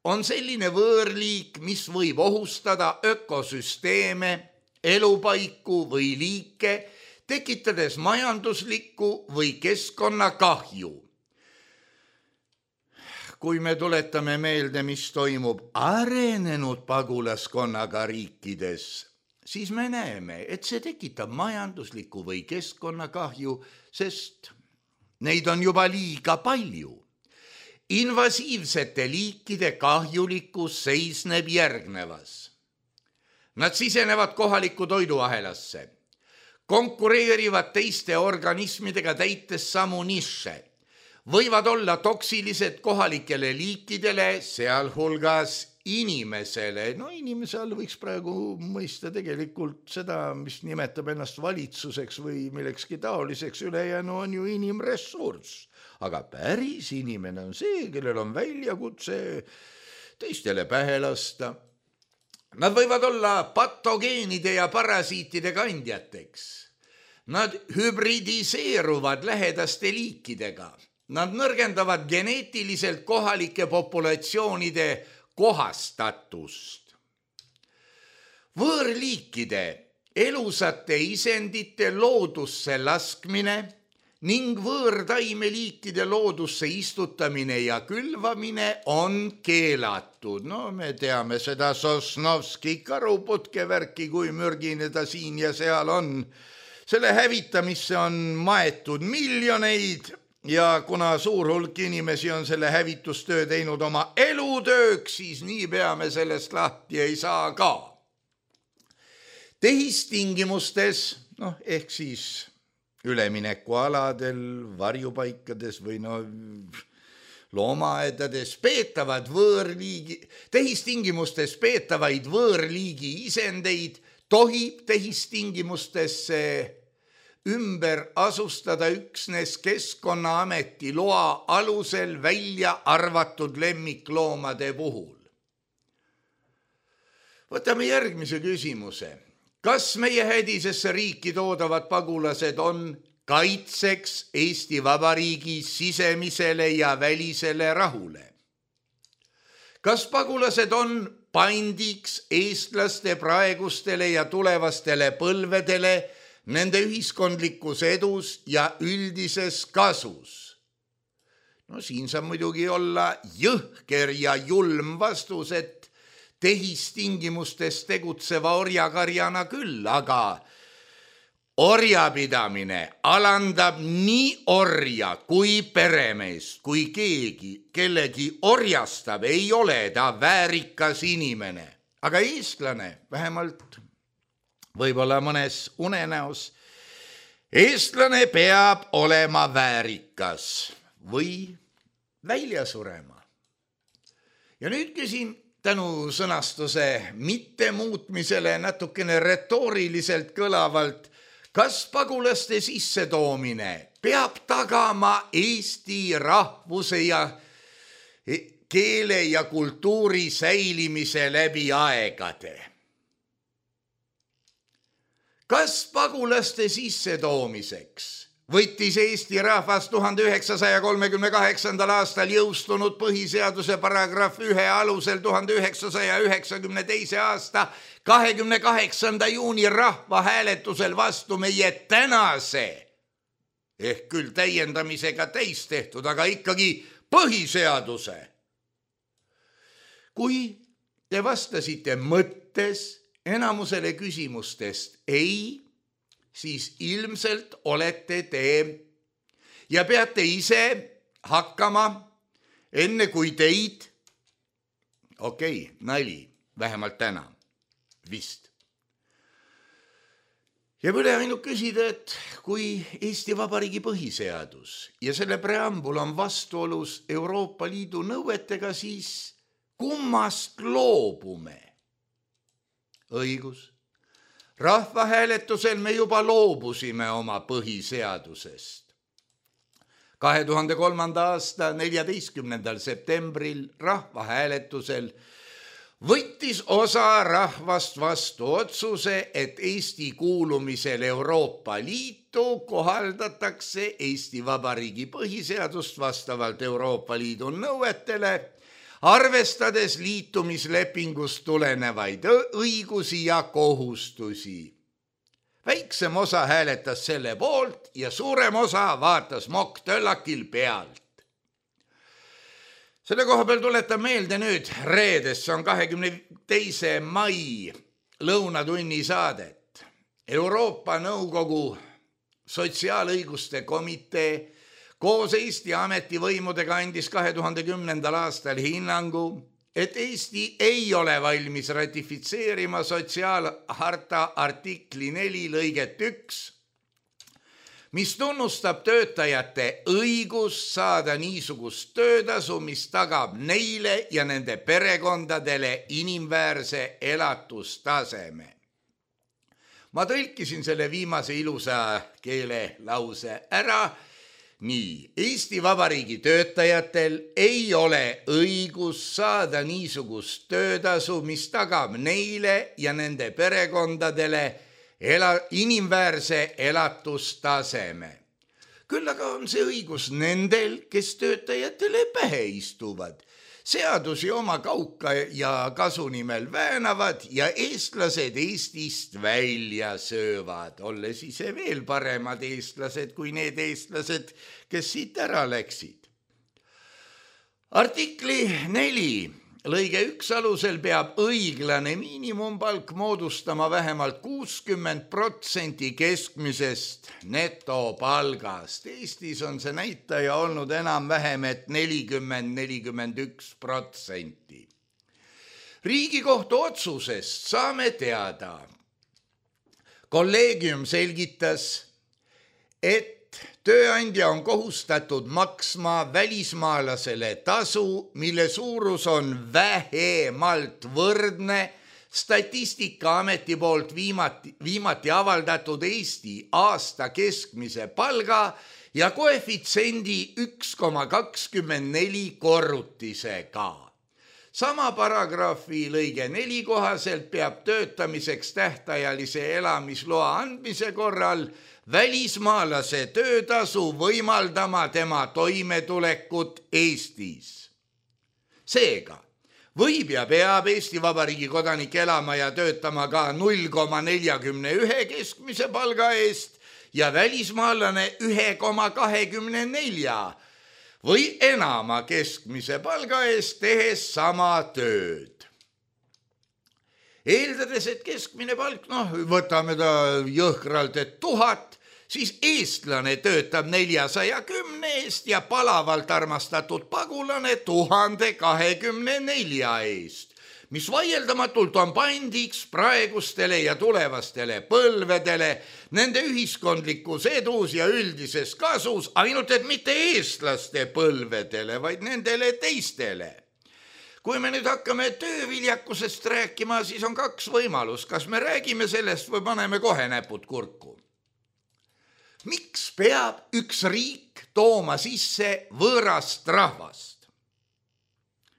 on selline võõrliik, mis võib ohustada ökosüsteeme, elupaiku või liike, tekitades majanduslikku või keskkonnakahju. Kui me tuletame meelde, mis toimub arenenud pagulaskonnaga riikides, siis me näeme, et see tekitab majanduslikku või keskkonnakahju, sest neid on juba liiga palju. Invasiivsete liikide kahjulikkus seisneb järgnevas. Nad sisenevad kohaliku toiduahelasse, konkureerivad teiste organismidega täites samu niše, võivad olla toksilised kohalikele liikidele, sealhulgas inimesele. No inimese all võiks praegu mõista tegelikult seda, mis nimetab ennast valitsuseks või millekski taoliseks, ülejäänu on ju inimressurss. Aga päris inimene on see, kellel on väljakutse teistele pähe lasta. Nad võivad olla patogeenide ja parasiitide kandjateks. Nad hübridiseeruvad lähedaste liikidega. Nad nõrgendavad geneetiliselt kohalike populatsioonide kohastatust. Võõrliikide elusate isendite loodusse laskmine ning võõrtaimeliikide loodusse istutamine ja külvamine on keelatud. No me teame seda Sosnovski karuputkevärki, kui mürgine ta siin ja seal on. Selle hävitamisse on maetud miljoneid ja kuna suur hulk inimesi on selle hävitustöö teinud oma elutööks, siis nii peame sellest lahti ei saa ka. Tehistingimustes, noh ehk siis üleminekualadel, varjupaikades või no loomaaedades peetavad võõrliigi, tehistingimustes peetavaid võõrliigi isendeid tohib tehistingimustesse ümber asustada üksnes Keskkonnaameti loa alusel välja arvatud lemmikloomade puhul. Võtame järgmise küsimuse. Kas meie hädisesse riiki toodavad pagulased on kaitseks Eesti Vabariigi sisemisele ja välisele rahule? Kas pagulased on pandiks eestlaste praegustele ja tulevastele põlvedele nende ühiskondlikus edus ja üldises kasus? No siin saab muidugi olla jõhker ja julm vastus, et tehistingimustes tegutseva orjakarjana küll, aga orjapidamine alandab nii orja kui peremeest, kui keegi kellegi orjastab, ei ole ta väärikas inimene. Aga eestlane, vähemalt võib-olla mõnes unenäos, eestlane peab olema väärikas või välja surema. Ja nüüd küsin tänu sõnastuse mitte muutmisele natukene retooriliselt kõlavalt, kas pagulaste sissetoomine peab tagama Eesti rahvuse ja keele ja kultuuri säilimise läbi aegade. Kas pagulaste sissetoomiseks võttis Eesti rahvas tuhande üheksasaja kolmekümne kaheksandal aastal jõustunud põhiseaduse paragrahv ühe alusel tuhande üheksasaja üheksakümne teise aasta kahekümne kaheksanda juuni rahvahääletusel vastu meie tänase, ehk küll täiendamisega täis tehtud, aga ikkagi põhiseaduse. Kui te vastasite mõttes enamusele küsimustest ei, siis ilmselt olete te ja peate ise hakkama enne kui teid, okei, okay, nali, vähemalt täna, vist. Ja üle ainult küsida, et kui Eesti Vabariigi põhiseadus ja selle preambul on vastuolus Euroopa Liidu nõuetega, siis kummast loobume? Õigus. Rahvahääletusel me juba loobusime oma põhiseadusest. kahe tuhande kolmanda aasta neljateistkümnendal septembril rahvahääletusel võttis osa rahvast vastu otsuse, et Eesti kuulumisel Euroopa Liitu kohaldatakse Eesti Vabariigi põhiseadust vastavalt Euroopa Liidu nõuetele, arvestades liitumislepingust tulenevaid õigusi ja kohustusi. Väiksem osa hääletas selle poolt ja suurem osa vaatas mokktöllakil pealt. Selle koha peal tuletan meelde nüüd reedes, see on kahekümne teise mai lõunatunni saadet. Euroopa Nõukogu sotsiaalõiguste komitee koos Eesti ametivõimudega andis kahe tuhande kümnendal aastal hinnangu, et Eesti ei ole valmis ratifitseerima sotsiaalharta artikli neli lõiget üks, mis tunnustab töötajate õigust saada niisugust töötasu, mis tagab neile ja nende perekondadele inimväärse elatustaseme. Ma tõlkisin selle viimase ilusa keele lause ära. Nii, Eesti Vabariigi töötajatel ei ole õigus saada niisugust töötasu, mis tagab neile ja nende perekondadele ela, inimväärse elatustaseme. Küll aga on see õigus nendel, kes töötajatele pähe istuvad, seadusi oma kauka ja kasu nimel väänavad ja eestlased Eestist välja söövad, olles ise veel paremad eestlased kui need eestlased, kes siit ära läksid. Artikli neli lõige üks alusel peab õiglane miinimumpalk moodustama vähemalt kuuskümmend protsenti keskmisest netopalgast. Eestis on see näitaja olnud enam-vähem, et nelikümmend kuni nelikümmend üks protsenti. Riigikohtu otsusest saame teada. Kolleegium selgitas, et tööandja on kohustatud maksma välismaalasele tasu, mille suurus on vähemalt võrdne Statistikaameti poolt viimati, viimati avaldatud Eesti aasta keskmise palga ja koefitsiendi üks koma kakskümmend neli korrutisega. Sama paragrahvi lõige neli kohaselt peab töötamiseks tähtajalise elamisloa andmise korral välismaalase töötasu võimaldama tema toimetulekut Eestis. Seega, võib ja peab Eesti Vabariigi kodanik elama ja töötama ka null koma nelikümmend üks keskmise palga eest ja välismaalane üks koma kakskümmend neli või enama keskmise palga eest tehes sama tööd. Eeldades, et keskmine palk, noh, võtame ta jõhkralt, et tuhat, siis eestlane töötab neljasaja kümne eest ja palavalt armastatud pagulane tuhande kahekümne nelja eest, mis vaieldamatult on pandiks praegustele ja tulevastele põlvedele, nende ühiskondlikus edus ja üldises kasus, ainult et mitte eestlaste põlvedele, vaid nendele teistele. Kui me nüüd hakkame tööviljakusest rääkima, siis on kaks võimalust. Kas me räägime sellest või paneme kohe näpud kurku? Miks peab üks riik tooma sisse võõrast rahvast?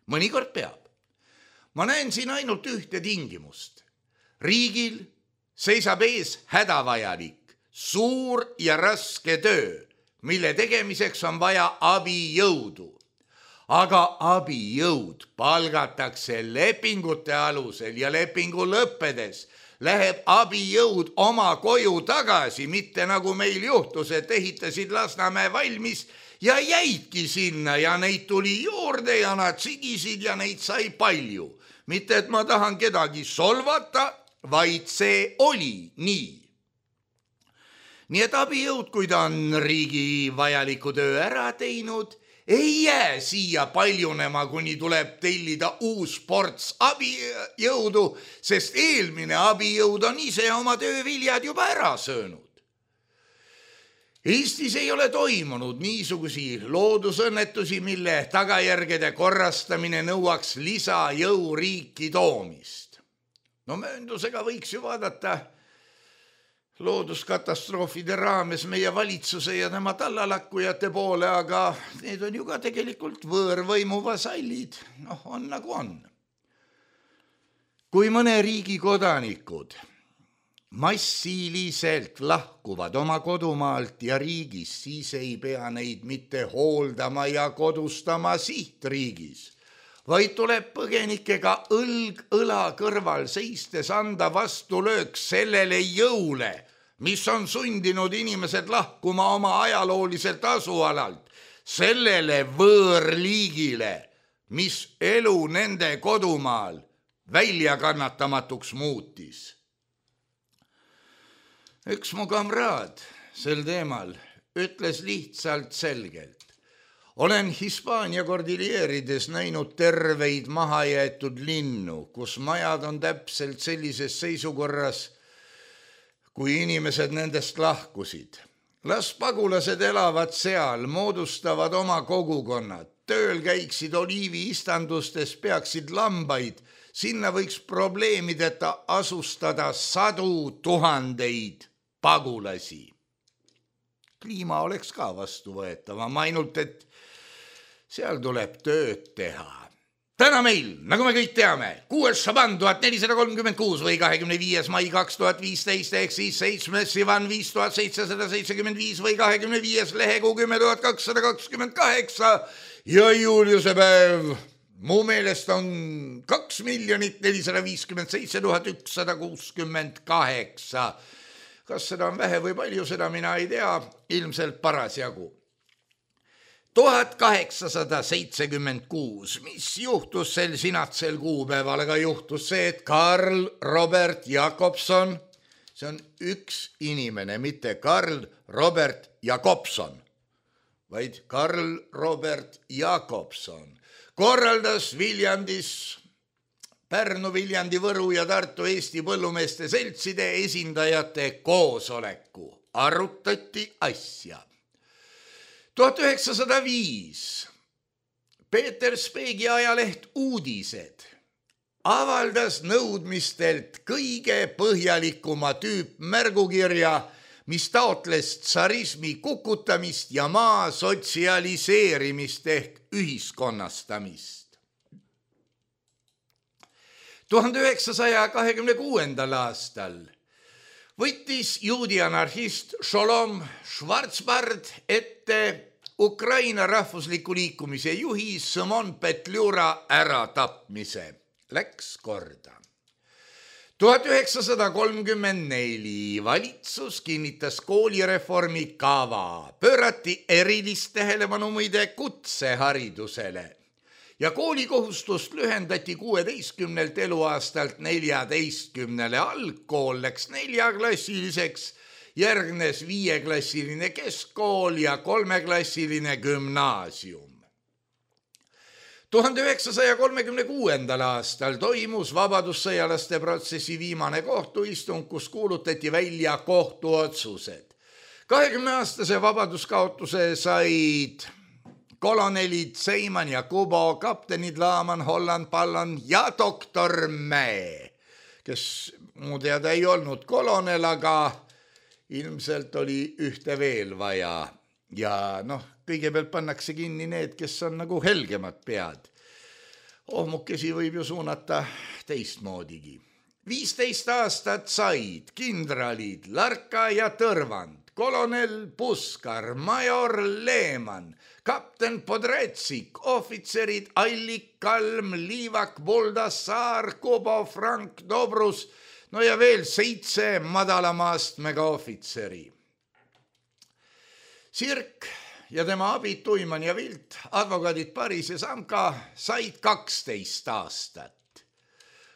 mõnikord peab. Ma näen siin ainult ühte tingimust. Riigil seisab ees hädavajalik, suur ja raske töö, mille tegemiseks on vaja abijõudu. Aga abijõud palgatakse lepingute alusel ja lepingu lõppedes läheb abijõud oma koju tagasi, mitte nagu meil juhtus, et ehitasid Lasnamäe valmis ja jäidki sinna ja neid tuli juurde ja nad sigisid ja neid sai palju. Mitte, et ma tahan kedagi solvata, vaid see oli nii. Nii et abijõud, kui ta on riigi vajaliku töö ära teinud, ei jää siia paljunema, kuni tuleb tellida uus ports abijõudu, sest eelmine abijõud on ise oma tööviljad juba ära söönud. Eestis ei ole toimunud niisugusi loodusõnnetusi, mille tagajärgede korrastamine nõuaks lisajõu riiki toomist. No mööndusega võiks ju vaadata looduskatastroofide raames meie valitsuse ja tema tallalakkujate poole, aga need on ju ka tegelikult võõrvõimu vasallid. Noh, on nagu on. Kui mõne riigi kodanikud massiliselt lahkuvad oma kodumaalt ja riigis, siis ei pea neid mitte hooldama ja kodustama sihtriigis, vaid tuleb põgenikega õlg õla kõrval seistes anda vastulöök sellele jõule, mis on sundinud inimesed lahkuma oma ajalooliselt asualalt, sellele võõrliigile, mis elu nende kodumaal väljakannatamatuks muutis. Üks mu kamraad sel teemal ütles lihtsalt selgelt. Olen Hispaania kordilleerides näinud terveid mahajäetud linnu, kus majad on täpselt sellises seisukorras, kui inimesed nendest lahkusid. Las pagulased elavad seal, moodustavad oma kogukonnad, tööl käiksid oliiviistandustes, peaksid lambaid, sinna võiks probleemideta asustada sadu tuhandeid pagulasi. Kliima oleks ka vastuvõetava, ma ainult, et seal tuleb tööd teha. Täna meil, nagu me kõik teame, kuues Šaban tuhat nelisada kolmkümmend kuus või kahekümne viies mai kaks tuhat viisteist ehk siis seitsmes Sivan viis tuhat seitsesada seitsekümmend viis või kahekümne viies lehekuu kümme tuhat kakssada kakskümmend kaheksa ja Juliuse päev. Mu meelest on kaks miljonit nelisada viiskümmend seitse tuhat ükssada kuuskümmend kaheksa. Kas seda on vähe või palju, seda mina ei tea, ilmselt parasjagu. tuhat kaheksasada seitsekümmend kuus, mis juhtus sel sinatsel kuupäeval, aga juhtus see, et Karl Robert Jakobson, see on üks inimene, mitte Karl Robert Jakobson, vaid Karl Robert Jakobson, korraldas Viljandis Pärnu, Viljandi, Võru ja Tartu Eesti põllumeeste seltside esindajate koosoleku. Arutati asja. tuhat üheksasada viis Peeter Speegi ajaleht Uudised avaldas nõudmistelt kõige põhjalikuma tüüpmärgukirja, mis taotles tsarismi kukutamist ja maa sotsialiseerimist ehk ühiskonnastamist. tuhande üheksasaja kahekümne kuuendal aastal võttis juudi anarhist Sholom Schwarzbard ette Ukraina rahvusliku liikumise juhi Simon Petliura äratapmise. Läks korda. tuhat üheksasada kolmkümmend neli valitsus kinnitas koolireformi kava, pöörati erilist tähelepanu muide kutseharidusele ja koolikohustust lühendati kuueteistkümnelt eluaastalt neljateistkümnele, algkool läks neljaklassiliseks, järgnes viieklassiline keskkool ja kolmeklassiline gümnaasium. tuhande üheksasaja kolmekümne kuuendal aastal toimus vabadussõjalaste protsessi viimane kohtuistung, kus kuulutati välja kohtuotsused. kahekümneaastase vabaduskaotuse said kolonelid Seiman ja Kubo, kaptenid Laaman, Holland, Pallon ja doktor Mäe, kes mu teada ei olnud kolonel, aga ilmselt oli ühte veel vaja. Ja noh, kõigepealt pannakse kinni need, kes on nagu helgemad pead. ohmukesi võib ju suunata teistmoodigi. viisteist aastat said kindralid Larka ja Tõrvand, kolonel Puskar, major Leeman, kapten Podretsik, ohvitserid Allik, Kalm, Liivak, Buldassaar, Kubo, Frank, Dobrus, no ja veel seitse madalama astmega ohvitseri. Sirk ja tema abid Tuiman ja Vilt, advokaadid Paris ja Samka said kaksteist aastat.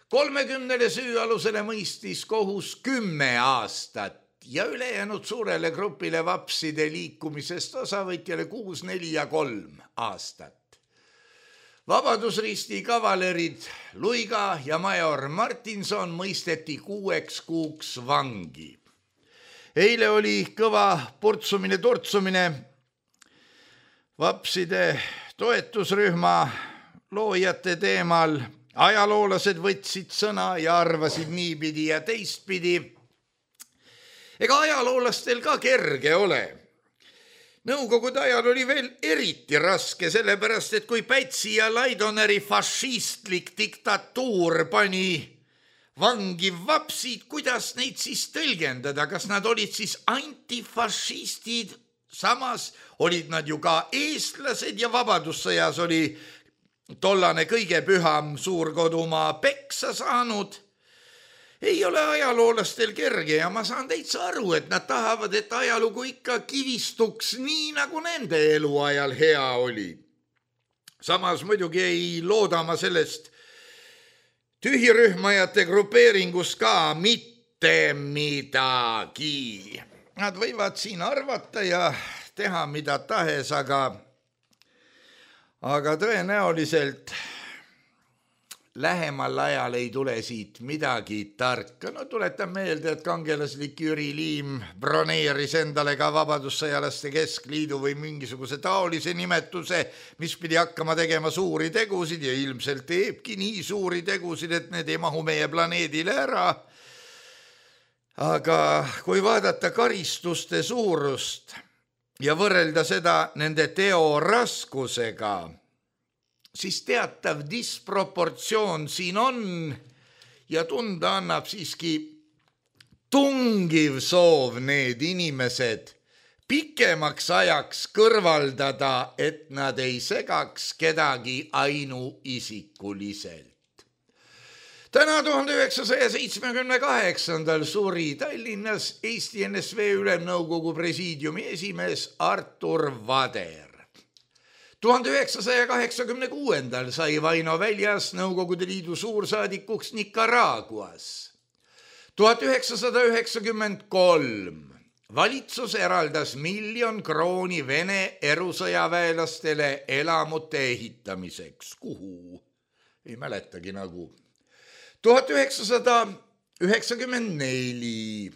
kolmekümnele süüalusele mõistis kohus kümme aastat ja ülejäänud suurele grupile vapside liikumisest osavõtjale kuus, neli ja kolm aastat. Vabadusristi kavalerid Luiga ja major Martinson mõisteti kuueks kuuks vangi. Eile oli kõva purtsumine-turtsumine vapside toetusrühma loojate teemal. Ajaloolased võtsid sõna ja arvasid niipidi ja teistpidi. Ega ajaloolastel ka kerge ole. Nõukogude ajal oli veel eriti raske, sellepärast, et kui Pätsi ja Laidoneri fašistlik diktatuur pani vangi vapsid, kuidas neid siis tõlgendada? Kas nad olid siis antifašistid? Samas olid nad ju ka eestlased ja vabadussõjas oli tollane kõige püham suurkodumaa peksa saanud. Ei ole ajaloolastel kerge ja ma saan täitsa aru, et nad tahavad, et ajalugu ikka kivistuks nii, nagu nende eluajal hea oli. Samas muidugi ei looda ma sellest tühirühmajate grupeeringus ka mitte midagi. Nad võivad siin arvata ja teha mida tahes, aga aga tõenäoliselt lähemal ajal ei tule siit midagi tarka. No tuletan meelde, et kangelaslik Jüri Liim broneeris endale ka Vabadussõjalaste Keskliidu või mingisuguse taolise nimetuse, mis pidi hakkama tegema suuri tegusid ja ilmselt teebki nii suuri tegusid, et need ei mahu meie planeedile ära. Aga kui vaadata karistuste suurust ja võrrelda seda nende teo raskusega, siis teatav disproportsioon siin on ja tunda annab siiski tungiv soov need inimesed pikemaks ajaks kõrvaldada, et nad ei segaks kedagi ainuisikuliselt. Täna tuhande üheksasaja seitsmekümne kaheksandal suri Tallinnas Eesti N S V Ülemnõukogu presiidiumi esimees Artur Vader. tuhande üheksasaja kaheksakümne kuuendal sai Vaino Väljas Nõukogude Liidu suursaadikuks Nicaraguas. tuhat üheksasada üheksakümmend kolm valitsus eraldas miljon krooni Vene erusõjaväelastele elamute ehitamiseks. Kuhu? Ei mäletagi nagu. tuhat üheksasada üheksakümmend neli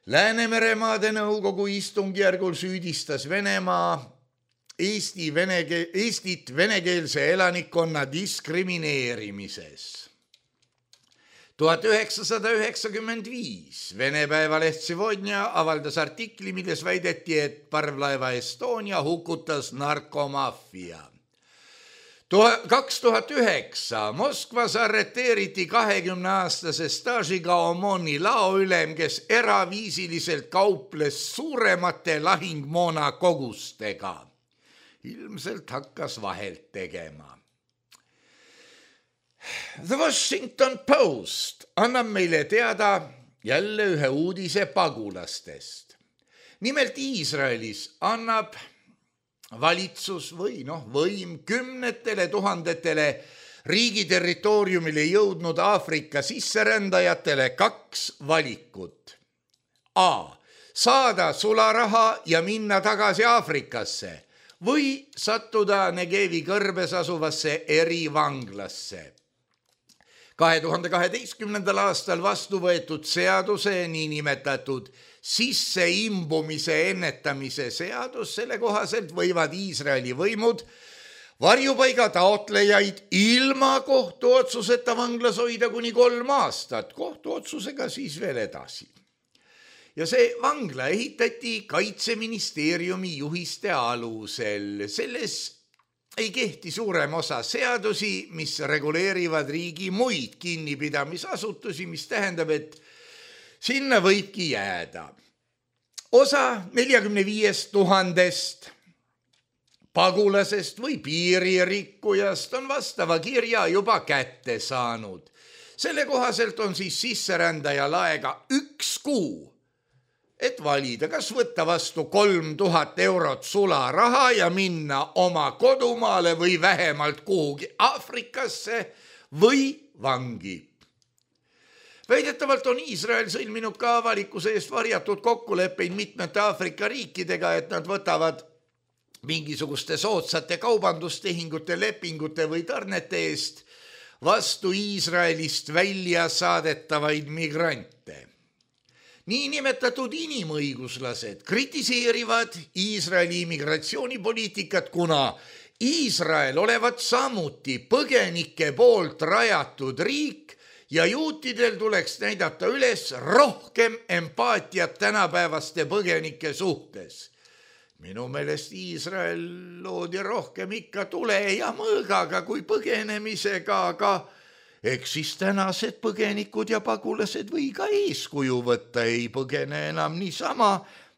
Läänemeremaade Nõukogu istungjärgul süüdistas Venemaa Eesti veneke, Eestit venekeelse elanikkonna diskrimineerimises. tuhat üheksasada üheksakümmend viis Vene päevaleht Sevodnja avaldas artikli, milles väideti, et parvlaeva Estonia hukutas narkomaffia. kaks tuhat üheksa Moskvas arreteeriti kahekümneaastase staažiga Omoni laoülem, kes eraviisiliselt kauples suuremate lahingmoona kogustega. Ilmselt hakkas vahelt tegema. The Washington Post annab meile teada jälle ühe uudise pagulastest. Nimelt Iisraelis annab valitsus või noh, võim kümnetele tuhandetele riigi territooriumile jõudnud Aafrika sisserändajatele kaks valikut. A. Saada sularaha ja minna tagasi Aafrikasse või sattuda Negevi kõrbes asuvasse erivanglasse. kahe tuhande kaheteistkümnendal aastal vastu võetud seaduse niinimetatud sisseimbumise ennetamise seadus, selle kohaselt võivad Iisraeli võimud varjupaiga taotlejaid ilma kohtuotsuseta vanglas hoida kuni kolm aastat, kohtuotsusega siis veel edasi. Ja see vangla ehitati Kaitseministeeriumi juhiste alusel. Selles ei kehti suurem osa seadusi, mis reguleerivad riigi muid kinnipidamisasutusi, mis tähendab, et sinna võibki jääda. Osa neljakümne viiest tuhandest pagulasest või piiririkkujast on vastava kirja juba kätte saanud. Selle kohaselt on siis sisserändajal aega üks kuu, et valida, kas võtta vastu kolm tuhat eurot sularaha ja minna oma kodumaale või vähemalt kuhugi Aafrikasse või vangi. Väidetavalt on Iisrael sõlminud ka avalikkuse eest varjatud kokkuleppeid mitmete Aafrika riikidega, et nad võtavad mingisuguste soodsate kaubandustehingute, lepingute või tarnete eest vastu Iisraelist välja saadetavaid migrante. Niinimetatud inimõiguslased kritiseerivad Iisraeli immigratsioonipoliitikat, kuna Iisrael olevat samuti põgenike poolt rajatud riik ja juutidel tuleks näidata üles rohkem empaatiat tänapäevaste põgenike suhtes. Minu meelest Iisrael loodi rohkem ikka tule ja mõõgaga kui põgenemisega, aga eks siis tänased põgenikud ja pagulased või ka eeskuju võtta, ei põgene enam niisama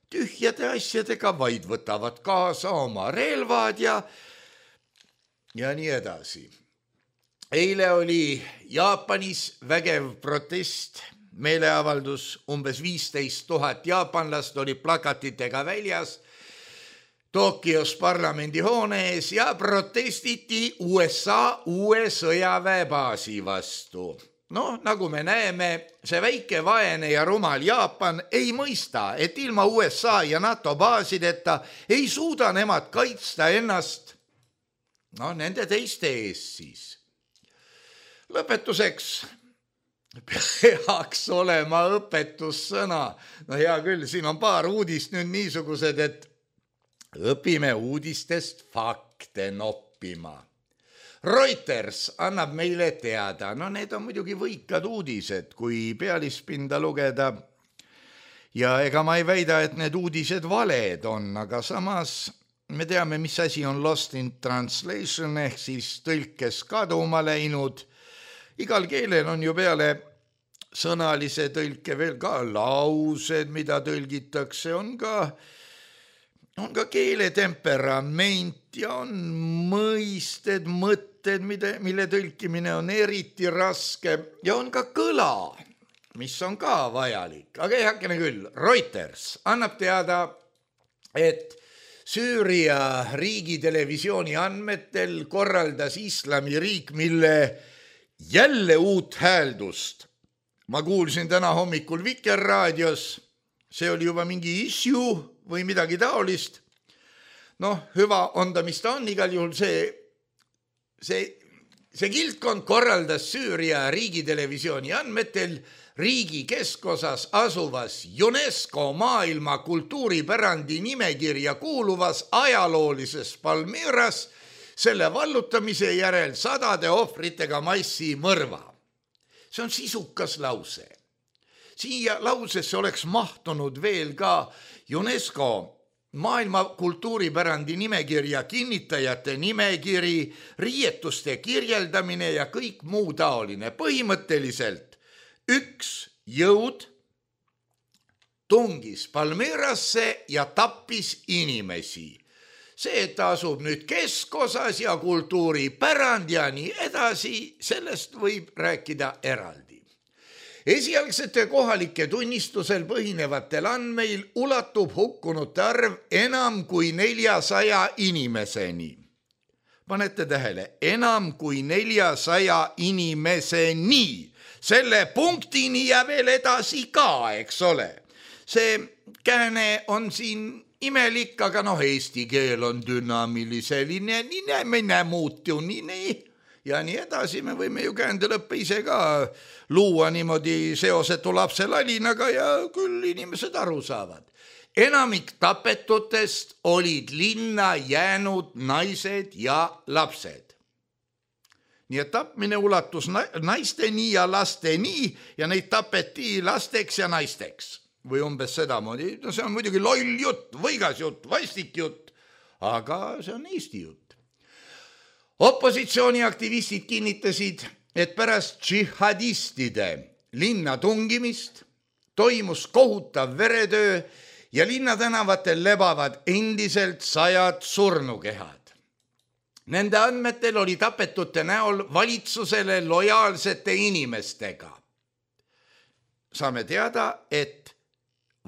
tühjade asjadega, vaid võtavad kaasa oma relvad ja, ja nii edasi. Eile oli Jaapanis vägev protest, meeleavaldus, umbes viisteist tuhat jaapanlast oli plakatitega väljas Tokios parlamendi hoone ees ja protestiti U S A uue sõjaväebaasi vastu. No, nagu me näeme, see väike vaene ja rumal Jaapan ei mõista, et ilma U S A ja NATO baasideta ei suuda nemad kaitsta ennast, no nende teiste ees siis. Lõpetuseks peaks olema õpetussõna. No hea küll, siin on paar uudist nüüd niisugused, et õpime uudistest fakte noppima. Reuters annab meile teada, no need on muidugi võikad uudised, kui pealispinda lugeda. Ja ega ma ei väida, et need uudised valed on, aga samas me teame, mis asi on lost in translation ehk siis tõlkes kaduma läinud. Igal keelel on ju peale sõnalise tõlke veel ka laused, mida tõlgitakse, on ka, on ka keele temperament ja on mõisted, mõtted, mille, mille tõlkimine on eriti raske ja on ka kõla, mis on ka vajalik. Aga ei hakkene küll, Reuters annab teada, et Süüria riigitelevisiooni andmetel korraldas Islamiriik, mille jälle uut hääldust. Ma kuulsin täna hommikul Vikerraadios, see oli juba mingi issue või midagi taolist. Noh, hüva on ta, mis ta on, igal juhul see, see, see kildkond korraldas Süüria riigitelevisiooni andmetel riigi keskosas asuvas UNESCO maailma kultuuripärandi nimekirja kuuluvas ajaloolises Palmiras selle vallutamise järel sadade ohvritega massi mõrva. See on sisukas lause. Siia lausesse oleks mahtunud veel ka UNESCO maailma kultuuripärandi nimekirja kinnitajate nimekiri, riietuste kirjeldamine ja kõik muu taoline. Põhimõtteliselt üks jõud tungis Palmirasse ja tappis inimesi. See, et ta asub nüüd keskosas ja kultuuripärand ja nii edasi, sellest võib rääkida eraldi. Esialgsete kohalike tunnistusel põhinevatel andmeil ulatub hukkunute arv enam kui neljasaja inimeseni. Panete tähele, enam kui neljasaja inimeseni. Selle punktini ja veel edasi ka, eks ole. See kääne on siin imelik, aga noh, eesti keel on dünaamiliseline, ninemine muutunine ja nii edasi. Me võime ju käände lõppe ise ka luua niimoodi seosetu lapse lalinaga ja küll inimesed aru saavad. Enamik tapetutest olid linna jäänud naised ja lapsed. Nii et tapmine ulatus naisteni ja lasteni ja neid tapeti lasteks ja naisteks. Või umbes sedamoodi, no see on muidugi loll jutt, võigas jutt, vastik jutt, aga see on Eesti jutt. Opositsiooniaktivistid kinnitasid, et pärast džihadistide linna tungimist toimus kohutav veretöö ja linnatänavatel lebavad endiselt sajad surnukehad. Nende andmetel oli tapetute näol valitsusele lojaalsete inimestega. Saame teada, et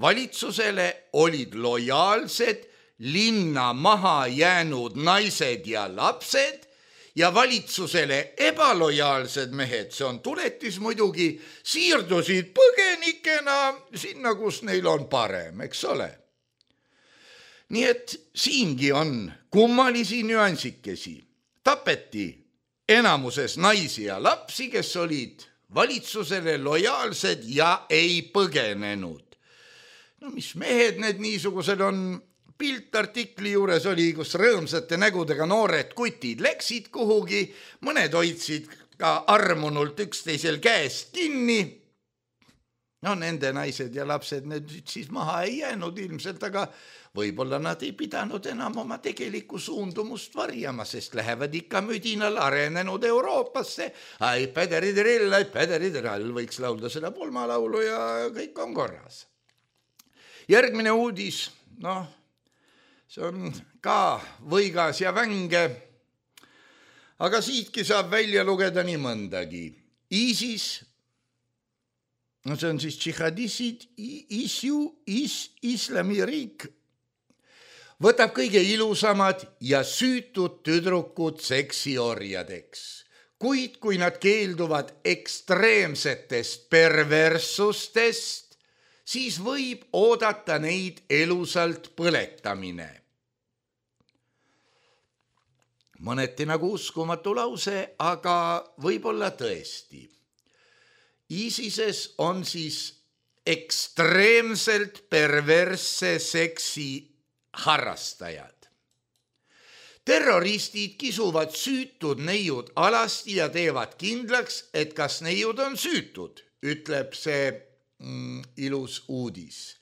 valitsusele olid lojaalsed linna maha jäänud naised ja lapsed ja valitsusele ebalojaalsed mehed, see on tuletis muidugi, siirdusid põgenikena sinna, kus neil on parem, eks ole. Nii et siingi on kummalisi nüansikesi. Tapeti enamuses naisi ja lapsi, kes olid valitsusele lojaalsed ja ei põgenenud. No mis mehed need niisugused on? Pilt artikli juures oli, kus rõõmsate nägudega noored kutid läksid kuhugi, mõned hoidsid ka armunult üksteisel käest kinni. No nende naised ja lapsed need siis maha ei jäänud ilmselt, aga võib-olla nad ei pidanud enam oma tegelikku suundumust varjama, sest lähevad ikka müdinal arenenud Euroopasse. Ai päderiderill, ai päderiderill, võiks laulda seda pulmalaulu ja kõik on korras. Järgmine uudis, noh, see on ka võigas ja vänge, aga siitki saab välja lugeda nii mõndagi. ISIS, no see on siis džihadistid, ISIU, is, islamiriik, võtab kõige ilusamad ja süütud tüdrukud seksiorjadeks. Kuid kui nad keelduvad ekstreemsetest perverssustest, siis võib oodata neid elusalt põletamine. Mõneti nagu uskumatu lause, aga võib-olla tõesti. ISISes on siis ekstreemselt perversse seksi harrastajad. Terroristid kisuvad süütud neiud alasti ja teevad kindlaks, et kas neiud on süütud, ütleb see mm, ilus uudis.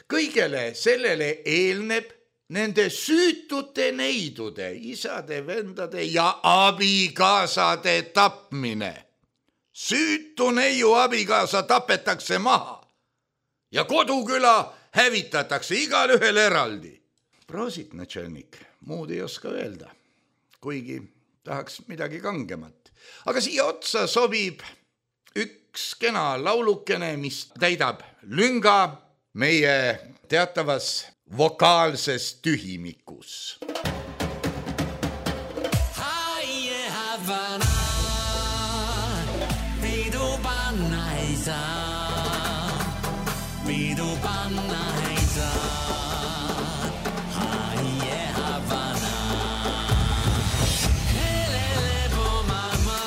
Kõigele sellele eelneb nende süütute neidude, isade, vendade ja abikaasade tapmine. Süütu neiu abikaasa tapetakse maha ja koduküla hävitatakse igal ühel eraldi. Prosit, načelnik, muud ei oska öelda, kuigi tahaks midagi kangemat. Aga siia otsa sobib üks kena laulukene, mis täidab lünga meie teatavas vokaalses tühimikus. Haie Havana, pidu panna ei saa, pidu panna ei saa. Haie Havana, helele mama,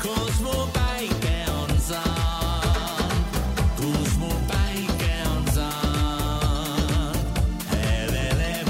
kus mu päike on saan, kus mu päike on saan. Helele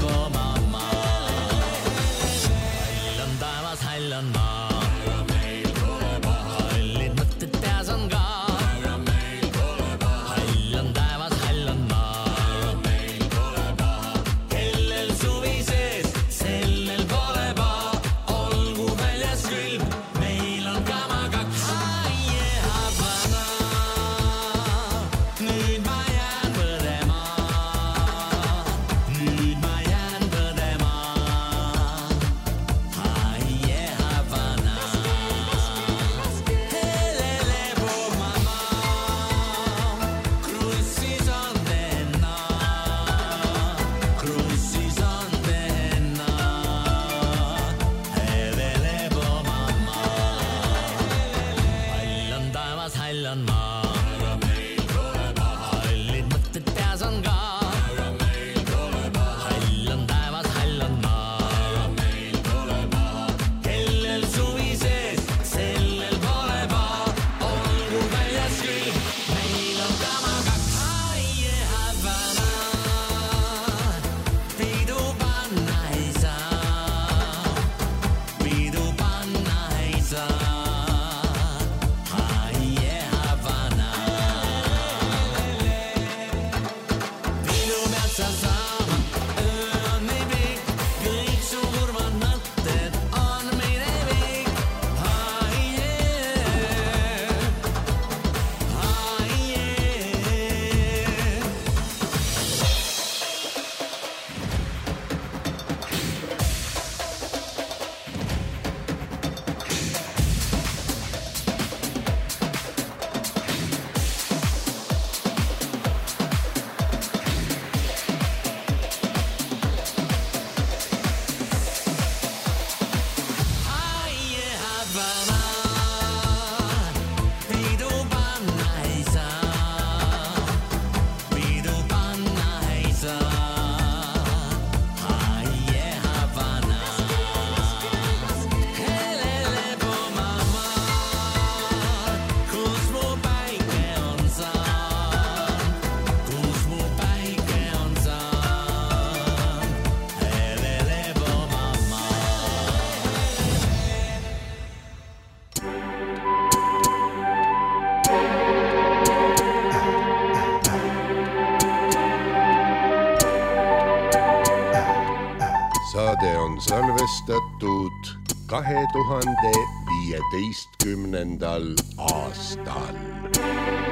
saade on salvestatud kahe tuhande viieteistkümnendal aastal.